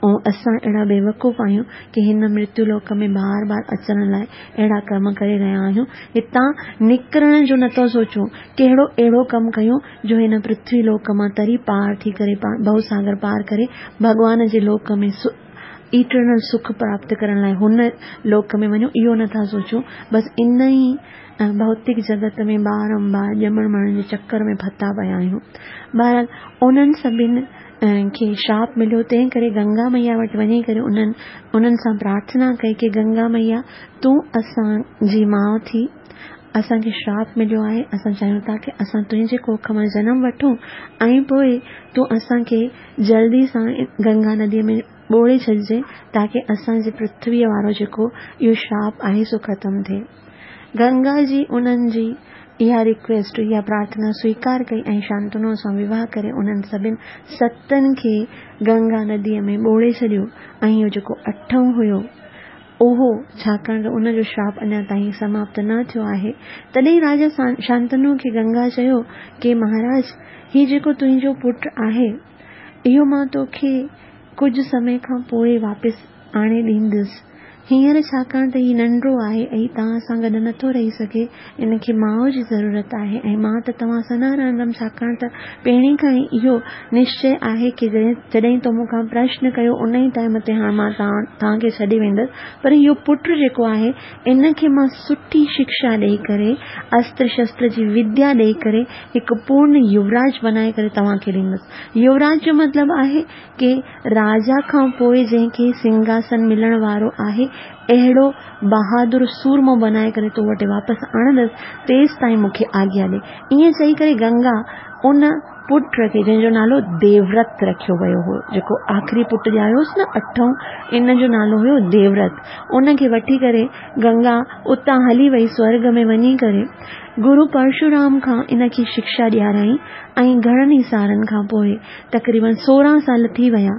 ۽ اسان اهڙا بيوقوف آهيون ڪه هن مرتيو لوڪ ۾ بار بار اچڻ لاءِ اهڙا ڪرم ڪري رهيا آهيون. هتان نڪرڻ جو نٿو سوچون، ڪهڙو اهڙو ڪم ڪيون جو هن پرٿوي لوڪ مان تري پار ٿي ڪري ڀوساگر پار ڪري ڀڳوان جي لوڪ ۾ ايٽرنل سک پراپت ڪرڻ لاءِ هن لوڪ ۾ وڃون، اهو نٿا سوچون. بس ان ئي ڀوتڪ جڳت ۾ بارمبار ڄمڻ مرڻ جي چڪر ۾ ڦٿا پيا آهيون. بهرحال انهن سڀني کي شراپ مليو، تنهن ڪري گنگا مئيا وٽ وڃي ڪري انهن انهن سان پرارٿنا ڪئي ڪه گنگا مئيا تون اسان جي ماءُ ٿي، اسان کي شراپ مليو آهي، اسان چاهيون ٿا ڪه اسان تنهنجي ڪوک مان جنم وٺون ۽ پوءِ تون اسان کي جلدي سان گنگا نديءَ ۾ ٻوڙي ڇڏجي تاڪه اسان جي پرٿويءَ وارو جيڪو اهو شراپ آهي سو ختم ٿئي. گنگا جي انهن جي اها رڪويسٽ، اها پرارٿنا سويڪار ڪئي ۽ شانتنو سان وواهه ڪري انهن سڀني ستن کي گنگا نديءَ ۾ ٻوڙي ڇڏيو. ۽ اهو جيڪو اٺون هيو اهو، ڇاڪاڻ ته ان جو شراپ اڃا تائين سماپت نه ٿيو آهي، تڏهن راجا شانتنو کي گنگا چيو ڪه مهاراج، هي جيڪو تنهنجو پٽ آهي اهو مان توکي ڪجهه سمي کان پوءِ واپس آڻي ڏيندس. هينئر ڇاڪاڻ ته هي ننڍڙو آهي ۽ توهان سان گڏ نٿو رهي سگهي، ان کي ماءُ جي ضرورت آهي ۽ مان ته توهان سان نه رهندم، ڇاڪاڻ ته پهرين کان ئي اهو نشچي آهي ڪه جڏهن تو مون کان پرشن ڪيو ان ئي ٽائيم تي هاڻي مان توهان کي ڇڏي ويندس، پر اهو پٽ جيڪو آهي ان کي مان سٺي شڪشا ڏيئي ڪري، استر شستر جي وديا ڏيئي ڪري هڪ پورڻ يوراج بنائي ڪري توهان کي ڏيندس. يوراج جو مطلب آهي ڪه راجا کان پوءِ جنهن کي سنگهاسن ملڻ وارو آهي، اهڙو بهادر سورمو بنائي ڪري تو وٽ واپس آڻندس، تيستائين مون کي آگيا ڏي. ائين چئي ڪري گنگا ان پٽ کي، جنهن جو نالو ديورت رکيو ويو هو، جيڪو آخري پٽ ڄايو هوس نه اٺون، ان جو نالو هيو ديورت، ان کي وٺي ڪري گنگا اتان هلي وئي. سورڳ ۾ وڃي ڪري گرو پرشورام کان ان کي شڪشا ڏيارائين ۽ گهڻن ئي سالن کان پوءِ، تقريبن سورهن سال ٿي ويا،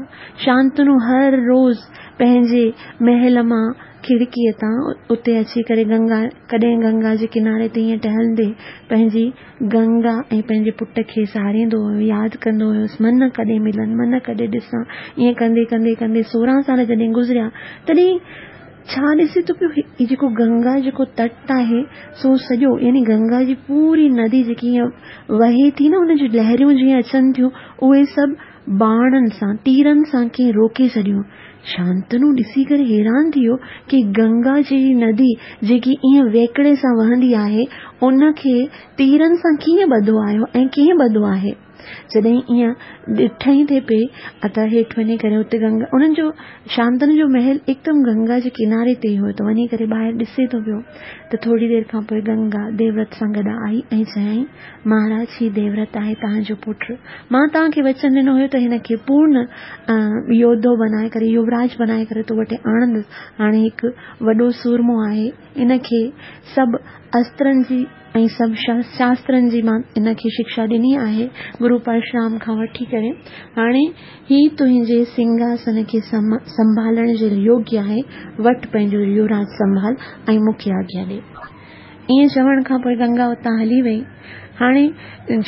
شانتنو هر روز پنهنجي محل مان کڙڪيءَ تان اتي اچي ڪري گنگا، ڪڏهن گنگا جي ڪناري تي ائين ٽهلندي پنهنجي گنگا ۽ پنهنجي پٽ کي ساريندو هيو، ياد ڪندو هيس، من ڪڏهن ملن، من ڪڏهن ڏسان. ائين ڪندي ڪندي ڪندي سورهن سال جڏهن گذريا، تڏهن ڇا ڏسي ٿو پيو، هي جيڪو گنگا جيڪو تٽ آهي سو سڄو، يعني گنگا جي پوري ندي جيڪي ائين وهي ٿي نه، ان جون لهريون جيئن اچن ٿيون، اهي سڀ باڻن سان، تيرن سان ڪنهن روڪي ڇڏيون. شانتنو ڏسي ڪري حيران ٿي ويو ڪه گنگا جهڙي ندي جيڪي ائين ويڪڙي سان وهندي آهي، ان کي تيرن سان ڪيئن ٻڌو آيو ۽ ڪيئن ٻڌو آهي. جڏهن ائين ڏٺئي ٿي پئي ته هيٺ وڃي ڪري اتي گنگا، انهن جو شانتنو جو محل هڪدم گنگا جي ڪناري تي هيو، ته وڃي ڪري ٻاهر ڏسي ٿو پيو ته ٿوري دير کان پوءِ گنگا ديورت سان گڏ آئي ۽ چيائين، مهاراج، هي ديورت آهي توهان جو پٽ. مان توهان کي وچن ڏنو هيو ته هن کي پورڻ يوڌو بنائي ڪري، يووراج بنائي ڪري تو وٽ آڻندس. هاڻي هڪ وڏو سورمو آهي، ان کي سڀ استرن جي ۽ سڀ شاسترن جي مان ان کي شڪشا ڏني آهي گرو پرشورام کان وٺي ڪري. هاڻي هي تنهنجي سنگهاسن کي سنڀالڻ جي يوگيه آهي. وٺ پنهنجو يووراج سنڀال ۽ مون کي آگيا ڏي. ائين چوڻ کان پوءِ گنگا اتان هلي وئي. هاڻي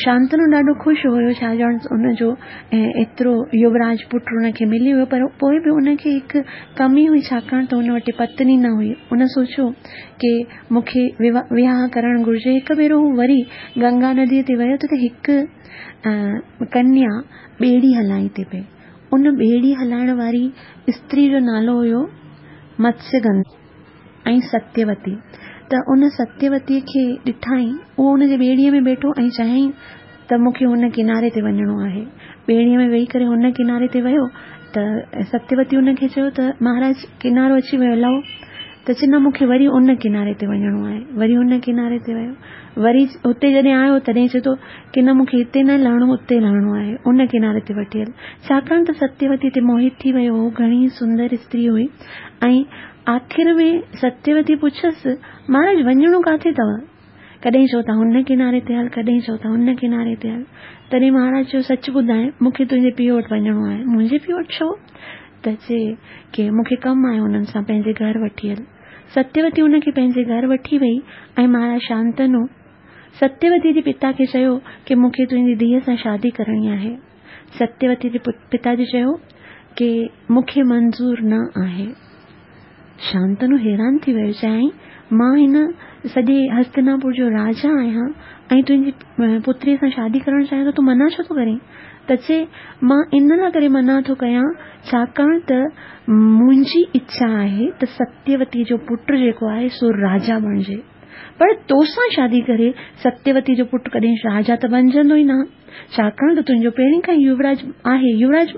شانتنو ڏاڍو خوش هيو، ڇا ڄڻ ان جو ايترو يووراج پٽ ان کي ملي ويو، پر پوءِ به ان کي هڪ ڪمي هئي، ڇاڪاڻ ته ان وٽ پتني نه هئي. ان سوچيو ڪه مون کي وهانءُ ڪرڻ گهرجي. هڪ ڀيرو هو وري گنگا نديءَ تي ويو ته هڪ ڪنيا ٻيڙي هلائي ٿي پئي. ان ٻيڙي هلائڻ واري استري جو نالو هيو متسيگنڌا ۽ ستيوتي. ته ان ستيوتيءَ کي ڏٺائين، اهو ان جي ٻيڙيءَ ۾ ويٺو ۽ چيائين ته مون کي هن ڪناري تي وڃڻو آهي. ٻيڙيءَ ۾ ويهي ڪري هن ڪناري تي ويو ته ستيوتي ان کي چيو ته مهاراج، ڪنارو اچي ويو، لهو. ته چئي نه، مون کي وري ان ڪناري تي وڃڻو آهي. وري هن ڪناري تي ويو. وري اتي جڏهن آيو تڏهن چئي ٿو ڪه نه، مون کي هتي نه لهڻو، اتي لهڻو آهي، ان ڪناري تي وٺي هل. ڇاڪاڻ ته ستيوتي تي موهت ٿي ويو هو، گهڻي سندر استري هئي. ۽ آخر ۾ ستيوتي پڇيس، مهاراج، وڃڻو ڪاٿي اٿو؟ ڪڏهن چئو ٿا هن ڪناري تي هل، ڪڏهن چئو ٿا هن ڪناري تي هل. تڏهن مهاراج چيو، سچ ٻڌائي، مون کي تنهنجي پيءُ وٽ وڃڻو آهي. منهنجي پيءُ وٽ ڇو؟ ته چئي ڪه مون کي ڪم آهي هنن سان، پنهنجي گهر وٺي هل. ستيوتي هن کي پنهنجي گهر وٺي وئي ۽ مهاراج شانتنو ستيوتي جي پتا کي چيو ڪه مون کي تنهنجي ڌيءَ سان شادي ڪرڻي آهي. ستيوتي جي پتاجي چيو ڪه مون کي منظور نه آهي. شانتنو حيران ٿي ويو. چيائين، مان هن سڄي هستناپور جو راجا آهيان ۽ تنهنجي پتريءَ سان شادي ڪرڻ چاهيان ٿو، تون منع ڇو ٿو ڪرين؟ ته چئي، مان ان لاءِ ڪري منع ٿو ڪيان ڇاڪاڻ ته منهنجي اڇا آهي ته ستيوتي جو پٽ جيڪو آهي سو راجا بڻجي، پر تو سان شادي ڪري ستيوتي جو پٽ ڪڏهن راجا ته بڻجندو ئي نه، ڇاڪاڻ ته تنهنجو پهرين کان ئي يووراج آهي، يووراج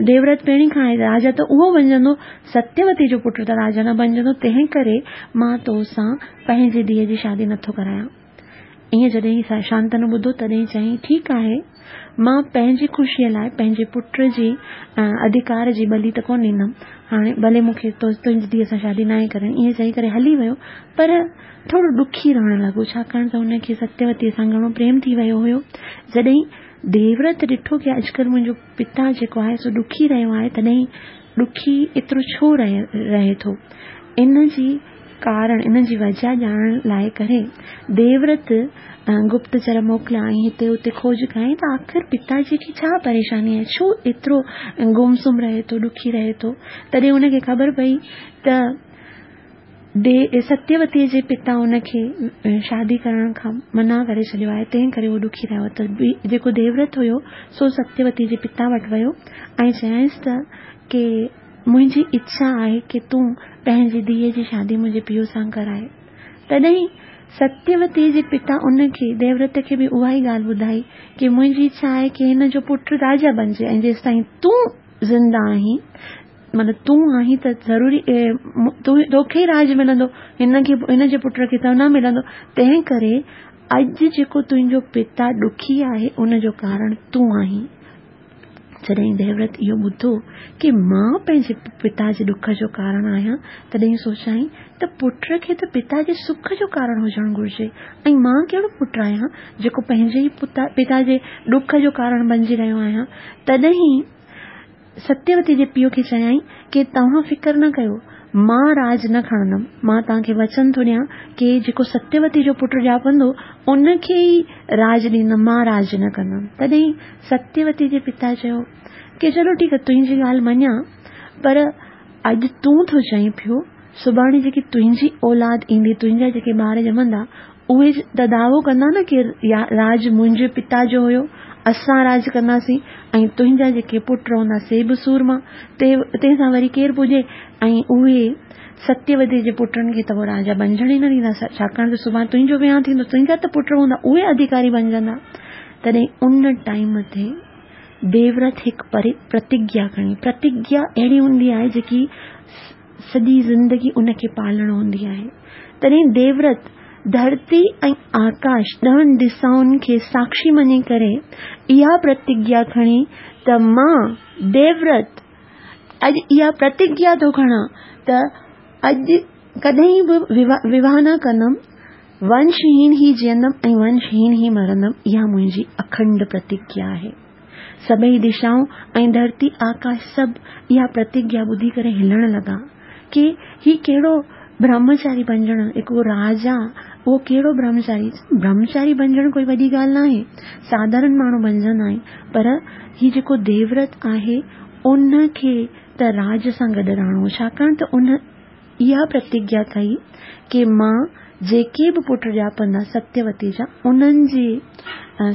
ديورت پهرين کان آهي. راجا ته اهو بڻجندو، ستيوتي جو پٽ ته راجا نه بڻجندو. تنهن ڪري مان تو سان پنهنجي ڌيءَ جي شادي نٿو ڪرايان. ائين جڏهن شانتنو ٻڌو تڏهن چيائين، ٺيڪ آهي، مان پنهنجي خوشيءَ لاءِ پنهنجي پٽ جي اڌڪار جي ٻلي ته ڪونه ڏيندم. هاڻي ڀلي مون کي تنهنجي ڌيءَ سان شادي ناهي ڪرڻي. ائين چئي ڪري هلي ويو، پر ٿورو ڏکي رهڻ لڳو، ڇاڪاڻ ته هن کي ستيوتيءَ سان گهڻو پريم ٿي ويو هيو. جڏهن ديورت ڏٺو ڪه اڄڪلهه منهنجو پتا جيڪو آهي سو ڏکي رهيو آهي، تڏهن ڏکي ايترو ڇو رهي رهي ٿو، ان جي ڪارڻ، ان جي وجهه ڄاڻڻ لاءِ ڪري ديورت گپتچر موڪليا ۽ هتي هتي کوج ڪيائين ته آخر پتاجي کي ڇا پريشاني آهي، ڇو ايترو گم سم رهي ٿو، ڏکي رهي ٿو. تڏهن هن کي خبر پئي ته the ستيوتيءَ جي پتا هن کي شادي ڪرڻ کان منع ڪري ڇڏيو آهي، تنهن ڪري هو ڏکي رهيو. ته جيڪو ديورت هيو سو ستيوتي جي پتا وٽ ويو ۽ چيائينس ته ڪه منهنجي اڇا آهي ڪه تون پنهنجي ڌيءَ جي شادي منهنجي پيءُ سان ڪرائي. تڏهن ستيوتي جي پتا ان کي، ديورت کي به اها ئي ڳالهه ٻڌائي ڪه منهنجي اڇا آهي ڪه هن جو پٽ راجا بڻجي ۽ جيستائين تون زنده آهين معنيٰ تون آهين ته ضروري تون توکي ئي راڄ ملندو، هن کي هن جي پٽ کي ته نه ملندو. تنهن ڪري اڄ جيڪو تنهنجو پتا ڏکي آهي ان جو ڪارڻ تون آهين. جڏهن ديورت اهو ٻڌو ڪي مان پنهنجي پتا جي ڏک جو ڪارڻ آهيان، تڏهن سوچيائين ته پٽ کي ته پتا جي سک جو ڪارڻ هجڻ گهرجي ۽ مان ڪهڙو پٽ آهيان جيڪو پنهنجي ئي پتا جي ڏک جو ڪارڻ بنجي رهيو آهيان. تڏهن ستيوتي جي پيءُ کي چيائين ڪي توهان فڪر نه ڪيو، مان راڄ نه کڻندم، مان توهان کي وچن ٿو ڏيان ڪي جيڪو ستيوتي جو پٽ ڄاپندو ان کي ئي راڄ ڏيندم، مان راڄ نه ڪندم. تڏهن ستيوتي جي پتا چيو ڪي چلو ٺيڪ آهي، تنهنجي ڳالهه مڃان، پر اڄ تون ٿو چئين پيو، سڀاڻي جيڪي تنهنجي اولاد ايندي، تنهنجا جيڪي ٻار ڄمندا، اهي ته دعوو ڪندا نه ڪي راڄ منهنجي پتا جو هيو، اسان راڄ ڪنداسين ۽ تنهنجا جيڪي پٽ هوندا سي به سورما، تنهن سان وري ڪير پڄي؟ ۽ اهي ستيوتي جي پٽن کي ته پوءِ راجا بنجڻ ئي نه ڏيندا، ڇاڪاڻ ته سڀاڻي تنهنجو وهانءُ ٿيندو، تنهنجا ته پٽ هوندا اهي اڌڪاري بنجندا. تڏهن ان ٽائيم تي ديورت هڪ پرتگيا کڻي. پرتگيا اهڙي هوندي آهي جيڪي سڄي زندگي ان کي پالڻ هوندي آهي. تڏهن ديورت ڌرتي ۽ آڪاش ڏهن دشائن کي ساڪشي مڃي ڪري اها پرتگيا کڻي ته مان ديورت اڄ اها پرتگيا ٿو کڻان ته اڄ ڪڏهن به وواهه نه ڪندم، ونشهين ئي جيئندم ۽ ونشهين ئي مرندم. اها منهنجي اکنڊ پرتگيا آهي. سڀئي دشائون ۽ ڌرتي آڪاش سڀ اها پرتگيا ٻڌي ڪري هلڻ لڳا ڪي هي ڪهڙو برهمچاري بنجڻ، هڪ راجا اهو ڪهڙو برهمچاري؟ برهمچاري بنجڻ ڪوئي وڏي ڳالهه نه آهي، ساڌارڻ ماڻهو بنجندا آهن، پر هي جيڪو ديورت آهي ان کي ته راج سان گڏ رهڻو، ڇاڪاڻ ته ان اها پرتگيا ڪئي ڪي مان جيڪي به پٽ ڄاپندا ستيوتي جا، انهن جي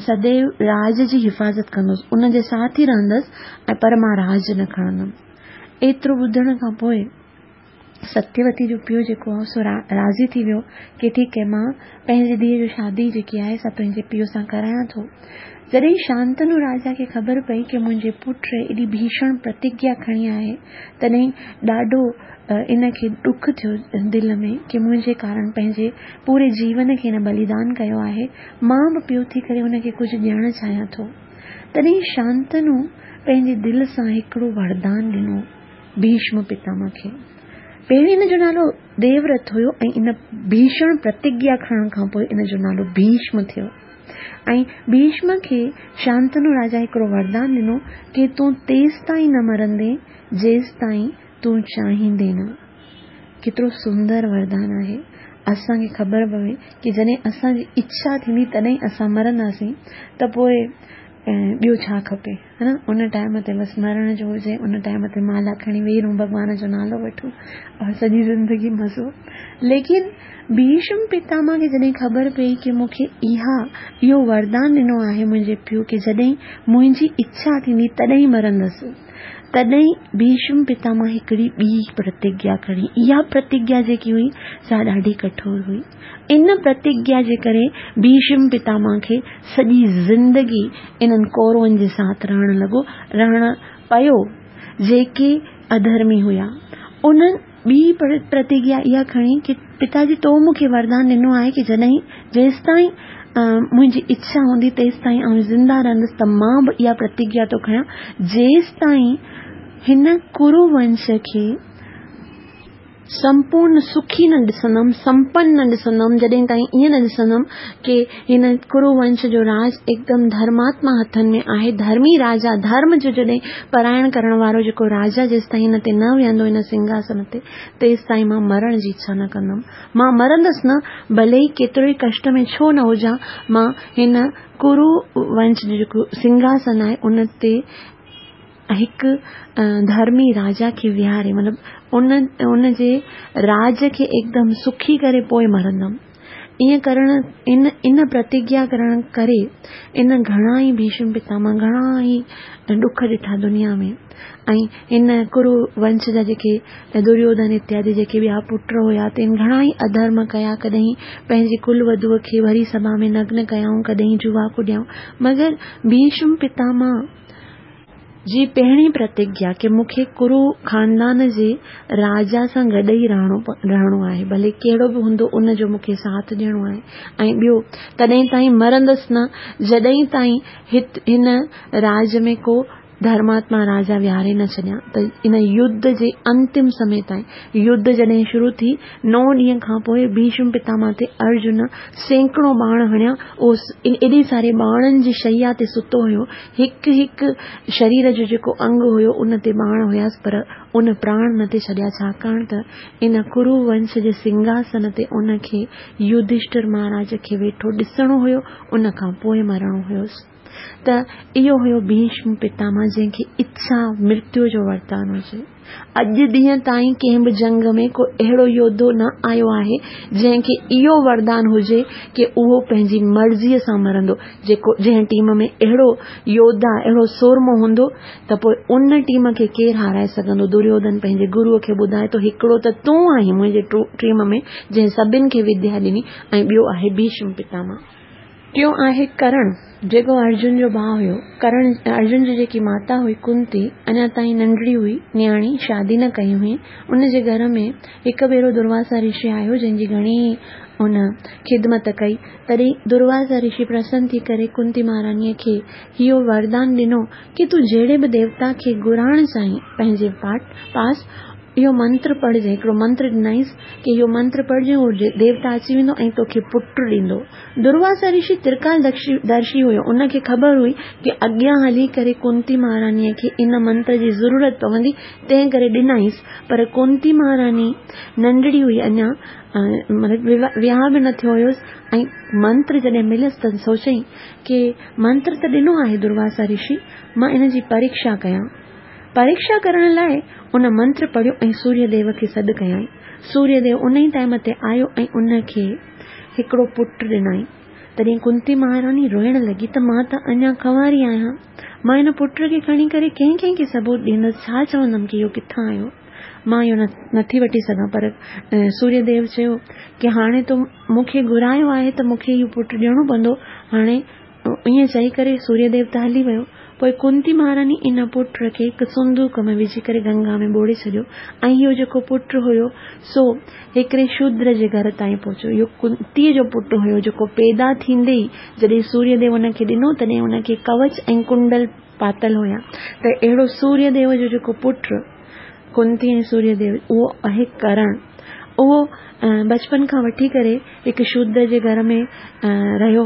سديو راج جي حفاظت ڪندس، ان جي ساٿ ئي رهندس ۽ پر مان راج نه کڻندم. ايترو ٻڌڻ کان پوءِ ستيوتي جو پيءُ جيڪو آهي سو راضي ٿي ويو ڪي ٺيڪ آهي، مان پنهنجي ڌيءَ جو شادي جيڪي آهي سا تنهنجي پيءُ سان ڪرايان ٿو. جڏهن شانتنو راجا کي خبر پئي ڪي منهنجي پٽ ايڏي ڀيشڻ پرتگيا کڻي آهي، تڏهن ڏاڍو ان کي ڏک ٿيو دل ۾ ڪي منهنجي ڪارڻ پنهنجي پوري جيون کي هن بليدان ڪيو آهي، مان به پيءُ ٿي ڪري هن کي ڪجهه ڏيڻ چاهيان ٿو. تڏهن شانتنو پنهنجي دل سان هڪڙو وردان ڏنو ڀيشم پتامهه کي. پهرين هن جو نالو ديورت هيو ۽ ان ڀيشڻ پرتگيا کڻڻ کان پوءِ ان جو نالو ڀيشم ٿيو. ۽ ڀيشم کي شانتنو راجا هڪڙو وردان ڏنو ڪي تون تيستائين نه مرندين جيستائين تون چاهيندين نه. ڪيترو سندر وردان آهي. اسان کي خبر پوي ڪي جڏهن اسان جي اڇا ٿيندي تڏهن اسان مرنداسين ته پوءِ ٻيو ڇا کپي، ها نه؟ ان ٽائيم تي بس مرڻ جو هجي، ان ٽائيم تي مالا کڻي ويهي رهون، ڀڳوان جو نالو وٺون اور سڄي زندگي مزو. ليڪن ڀيشم پتامهه کي جڏهن خبر پئي ڪي مون کي اها اهو وردان ڏنو آهي منهنجي پيءُ ڪي جڏهن منهنجي اڇا ٿيندي تڏهن مرندس، تڏهن ڀيشم پتامهه هڪڙي ٻي پرتگيا کڻي. اها پرتگيا جيڪي هئي سا ڏاڍي ڪٺور هئي. ان پرتگيا جي ڪري ڀيشم پتامهه کي سڄي زندگي انهن ڪورون جي ساٿ رهڻ لڳو، رهڻ پيو جيڪي اڌرمي هئا. انهن ٻي پرتگيا اها کڻي ڪي پتاجي تو مون کي وردان ڏنو آهي ڪي جڏهن جيستائين منهنجي اڇا هوندي تيستائين آئون زنده رهندس، ته مان به اها پرتگيا ٿو کڻان جيستائين هن ڪرو ونش کي سمپورڻ سکي نه ڏسندم، سمپن نه ڏسندم، جڏهن تائين ائين نه ڏسندم ڪي هن ڪرو ونش جو راج هڪدم ڌرماتما هٿن ۾ آهي، ڌرمي راجا، ڌرم جو جڏهن پرائڻ ڪرڻ وارو جيڪو راجا جيستائين هن تي نه ويهندو هن سنگهاسن تي، تيستائين مان مرڻ جي اڇا نه ڪندم. مان مرندس نه، ڀلي ئي ڪيترو ئي ڪشٽ ۾ ڇو نه هجان، مان هن ڪرو ونش جو جيڪو سنگهاسن آهي ان تي هڪ ڌرمي راجا کي ويهاري، مطلب ان ان جي راج کي هڪدم سکي ڪري پوءِ مرندم. ائين ڪرڻ ان ان پرتگيا ڪرڻ ڪري ان گهڻا ئي ڀيشم پتامهه گهڻا ئي ڏک ڏٺا دنيا ۾. ۽ هن ڪرو ونش جا جيڪي دريوڌن اتيادي جيڪي ٻيا پٽ هئا تن گهڻا ئي اڌرم ڪيا، ڪڏهن پنهنجي ڪل وڌوءَ کي ڀري سڀا ۾ نگن ڪيائون، ڪڏهن جوا ڪڏيائون، مگر ڀيشم پتامهه جي پهرين پرتگيا ڪي مون کي ڪرو خاندان جي راجا سان گڏ ئي رهڻو رهڻو آهي، ڀلي ڪهڙو به هوندو ان جو مون کي ساٿ ڏيڻو آهي ۽ ٻيو تڏهن تائين مرندس نه جڏهن تائين هت هن راج ۾ ڪو ڌرماتما راجا ويهاري نه ڇڏيان. ته ان يڌ جي انتم سمي تائين، يڌ جڏهن شروع ٿي نو ڏينهن کان پوء ڀيشم پتاما تي ارجن سيڪڙو ٻاڻ هڻيا. اهو ايڏي ساري ٻاڻن جي شيا تي ستو هيو، هڪ هڪ شرير جو جيڪو انگ هيو ان تي ٻاڻ هياس، پر ان پراڻ نه تي ڇڏيا، ڇاڪاڻ ته ان ڪرو ونش جي سنگهاسن تي ان کي يڌشٺر مهاراج کي ويٺو ڏسڻو هيو، ان کان پوء مرڻو هيس. ته اهو هيو ڀيشم پتاما جنهن کي اڇا مرتيو جو وردان هجي. اڄ ڏينهن تائين ڪنهن به جنگ ۾ ڪو اهڙو يوڌو نه آيو آهي جنهن کي اهو وردان هجي ڪي اهو پنهنجي مرضيء سان مرندو. جيڪو جنهن ٽيم ۾ اهڙو يوڌا اهڙو سورمو هوندو ته پوء ان ٽيم کي ڪير هارائي سگهندو؟ دريوڌن پنهنجي گروء کي ٻڌائي ٿو، هڪڙو ته تون آهين منهنجي ٽيم ۾ جنهن سڀن کي وديا ڏني ۽ ٻيو آهي ڀيشم پتاما. ٽيون آهي ڪرڻ، جيڪو ارجن جو ڀاء هيو. ڪرڻ ارجن جي جيڪي ماتا هئي ڪنتي، اڃا تائين ننڍڙي هئي، نياڻي، شادي نه ڪئي هئي. ان جي گهر ۾ هڪ ڀيرو درواسا رشي آيو جنهن جي گهڻي ان خدمت ڪئي. تڏهن درواسا رشي پرسن ٿي ڪري ڪنتي مهاراڻيء کي اهو وردان ڏنو ڪي تون جهڙي به ديوتا کي گهرائڻ چاهين پنهنجي پاس اهو منتر پڙهجانء. هڪڙو منتر ڏنائينس ڪي اهو منتر پڙهجانء، اهو ديوتا اچي ويندو ۽ توکي پٽ ڏيندو. درواسا رشي ترڪال درشي هيو، ان کي خبر هئي ڪي اڳيان هلي ڪري ڪنتي مهاراڻيء کي ان منتر جي ضرورت پوندي، تنهن ڪري ڏنائينس. پر ڪنتي مهاراڻي ننڍڙي هئي اڃا، مطلب وهانء به نه ٿيو هيس ۽ منتر جڏهن مليس ته سوچيائين ڪي منتر ته ڏنو آهي درواسا رشي، مان ان جي پريکشا ڪيان. پريکشا ڪرڻ لاء ان منتر پڙهيو ۽ سوريه ديو کي سڏ ڪيائين. سوريه ديو ان ئي ٽائيم تي آيو ۽ ان کي هڪڙو پٽ ڏنائين. تڏهن ڪنتي مهاراڻي روئڻ لڳي ته مان ته اڃا ڪنواري آهيان، مان هن پٽ کي کڻي ڪري ڪنهن ڪنهن کي ثبوت ڏيندس، ڇا چوندم ڪي اهو ڪٿان آيو، مان اهو نٿي وٺي سگهان. پر سوريه ديو چيو ڪي هاڻي تو مون کي گهرايو آهي ته مون کي اهو پٽ ڏيڻو پوندو. هاڻي ائين چئي ڪري سوريه ديو ته هلي ويو. پوء ڪنتي مهاراڻي ان پٽ کي هڪ صندوق ۾ وجهي ڪري گنگا ۾ ٻوڙي ڇڏيو ۽ اهو جيڪو پٽ هيو سو هڪڙي شودر جي گهر تائين پهچيو. اهو ڪنتيء جو پٽ هيو جيڪو پيدا ٿيندي ئي جڏهن سوريه ديو ان کي ڏنو تڏهن ان کي ڪوچ ۽ ڪنڊل پاتل هيا. ته اهڙو سوريه ديو جو جيڪو پٽ ڪنتي ۽ سوريه ديو اهو آهي ڪرڻ. اهو بچپن کان وٺي ڪري هڪ شودر جي گهر ۾ رهيو،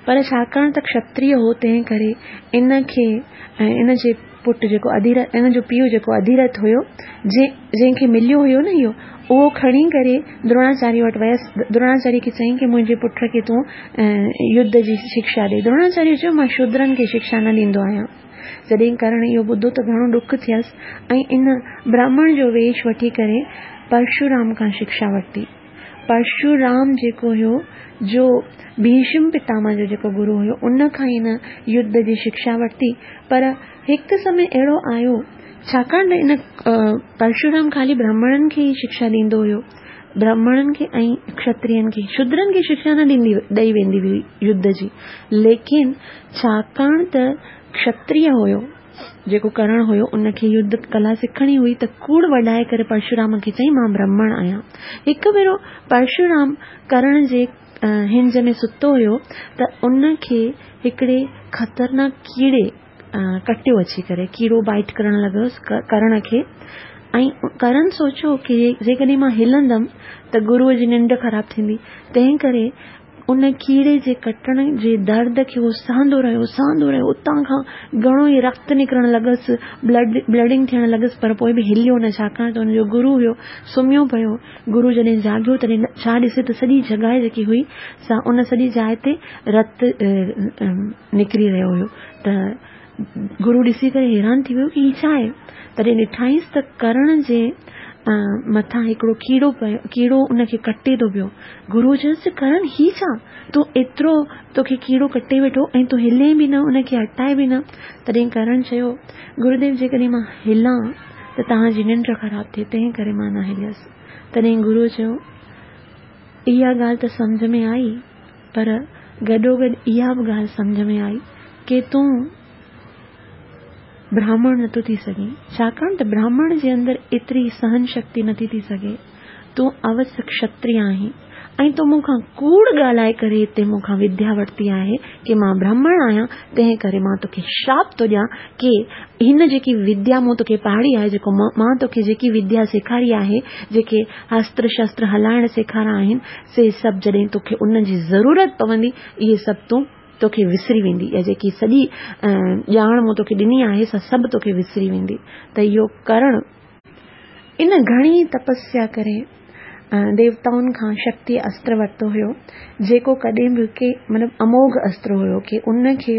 پر ڇاڪاڻ ته کشتريه هو تنهن ڪري ان کي ان جي پٽ جيڪو اڌيرٿ، ان جو پيء جيڪو اڌيرٿ هيو، جنهن کي مليو هيو نه اهو، اهو کڻي ڪري دروناچاريه وٽ ويس. دروناچاريه کي چيائين ڪي منهنجي پٽ کي تون يڌ جي شکشا ڏي. دروناچاريه چيو مان شودرن کي شکشا نه ڏيندو آهيان. جڏهن ڪرڻ اهو ٻڌو ته گهڻو ڏک ٿيس ۽ ان براهمڻ جو ويش وٺي ڪري پرشورام کان شکشا ورتي. پرشورام جيڪو هيو جو ڀيشم پتاما جو جيڪو گرو هيو، ان کان هن يڌ جي شکشا ورتي. پر هڪ سمي اهڙو آيو، ڇاڪاڻ ته ان پرشورام خالي براهمڻن کي ئي شکشا ڏيندو هيو، براهمڻن کي ۽ کشترين کي، شودرن کي شکشا نه ڏيندي ڏئي ويندي هئي يڌ جي. ليڪن ڇاڪاڻ ته کشتريه هيو جيڪو ڪرڻ هيو، ان کي يڌ ڪلا سکڻي هئي ته ڪوڙ وڍائي ڪري پرشورام کي چيائين مان برهمڻ آهيان. هڪ ڀيرو پرشورام ڪرڻ جي هنج ۾ ستو هيو ته ان کي هڪڙي خطرناڪ ڪيڙي ڪٽيو اچي ڪري، ڪيڙو بائيٽ ڪرڻ لڳس ڪرڻ کي. ۽ ڪرڻ سوچيو ڪي جيڪڏهن مان هلندم ته گروء جي ننڊ خراب ٿيندي، تنهن ڪري ان ڪيڙي جي ڪٽڻ جي درد کي هو سهندو رهيو، سهندو رهيو. اتان کان گهڻو ئي رت نڪرڻ لڳس، بلڊ بلڊنگ ٿيڻ لڳس، پر پوء به هليو نه، ڇاڪاڻ ته ان جو گرو هيو، سمهيو پيو. گرو جڏهن جاڳيو تڏهن ڇا ڏسي ته سڄي جڳهه جيڪي هئي سا ان سڄي جاء تي رت نڪري رهيو هيو. ته گرو ڏسي ڪري حيران ٿي ويو ڪي هي ڇا آهي؟ تڏهن ڏٺائينس ته ڪرڻ جي مٿان هڪڙو ڪيڙو پيو، ڪيڙو ان کي ڪٽي ٿو پيو. گرو چيس ڪرڻ هي ڇا، تون ايترو توکي ڪيڙو ڪٽي ويٺو ۽ تون هلين به نه، ان کي هٽائي به نه. تڏهن ڪرڻ چيو گروديو جيڪڏهن مان هلان ته توهان جي ننڊ خراب ٿئي، تنهن ڪري مان نه هليس. تڏهن گرو چيو اها ڳالهه ته سمجهه ۾ آئي، پر گڏوگڏ اها به ڳالهه سمجهه ۾ آئي ڪي تون براهمڻ نٿو ٿي سگهين، ڇاڪاڻ ته براهمڻ جي اندر ايتري سهن شڪتي نٿي ٿي سگهي. تون اوس ڪشتريه آهين ۽ تو مون کان ڪوڙ ڳالهائي ڪري هتي مون کان وديا ورتي آهي ڪي مان برهمڻ آهيان، تنهن ڪري مان توکي شراپ ٿو ڏيان ڪي هن جيڪي وديا مون توکي پاڙهي آهي، جيڪو مان توکي جيڪي وديا سيکاري آهي، جيڪي استر شستر هلائڻ سيکاريا آهن، سي سڀ جڏهن توکي ان جي ضرورت پوندي، اهي سڀ تون توکي وسري ويندي. اها جيڪي سڄي ڄاڻ مون توکي ڏني آهي، سا سڀ توکي وسري ويندي. ته اهو ڪرڻ ان گهڻي تپسيا ڪري ديوتائن کان شڪتي استر ورتو هيو، جيڪو ڪڏهن به ڪي مطلب اموگهه استر هيو ڪي ان کي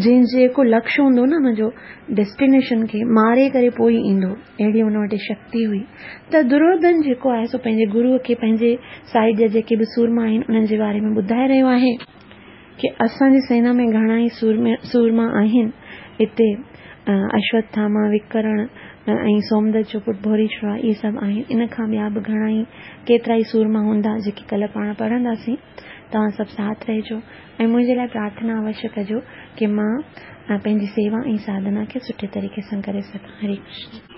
جنهن جيڪو لڪش هوندو نه، ان جو ڊيسٽينيشن کي ماري ڪري پوءِ ئي ايندو، اهڙي ان وٽ شڪتي هئي. ته دريوڌن جيڪو آهي سو پنهنجي گروء کي پنهنجي سائيڊ جا جيڪي به سورما آهن انهن جي باري ۾ ٻڌائي رهيو آهي ڪي اسان جي سينا ۾ گهڻا ئي سورما آهن. هتي اشوٿاما، وڪرڻ ۽ سومدت جو پٽ ڀوريشوا، اهي سڀ آهن. ان کان ٻيا به گهڻا ئي ڪيترا ئي سورما هوندا جيڪي ڪلهه پاڻ پڙهنداسين. توهان سڀ ساٿ رهجو ۽ منهنجي لاءِ پرارٿنا اوشيه ڪجو ڪي مان پنهنجي سيوا ۽ ساڌنا کي سٺي طريقي سان ڪري سگهان. هري ڪرشن.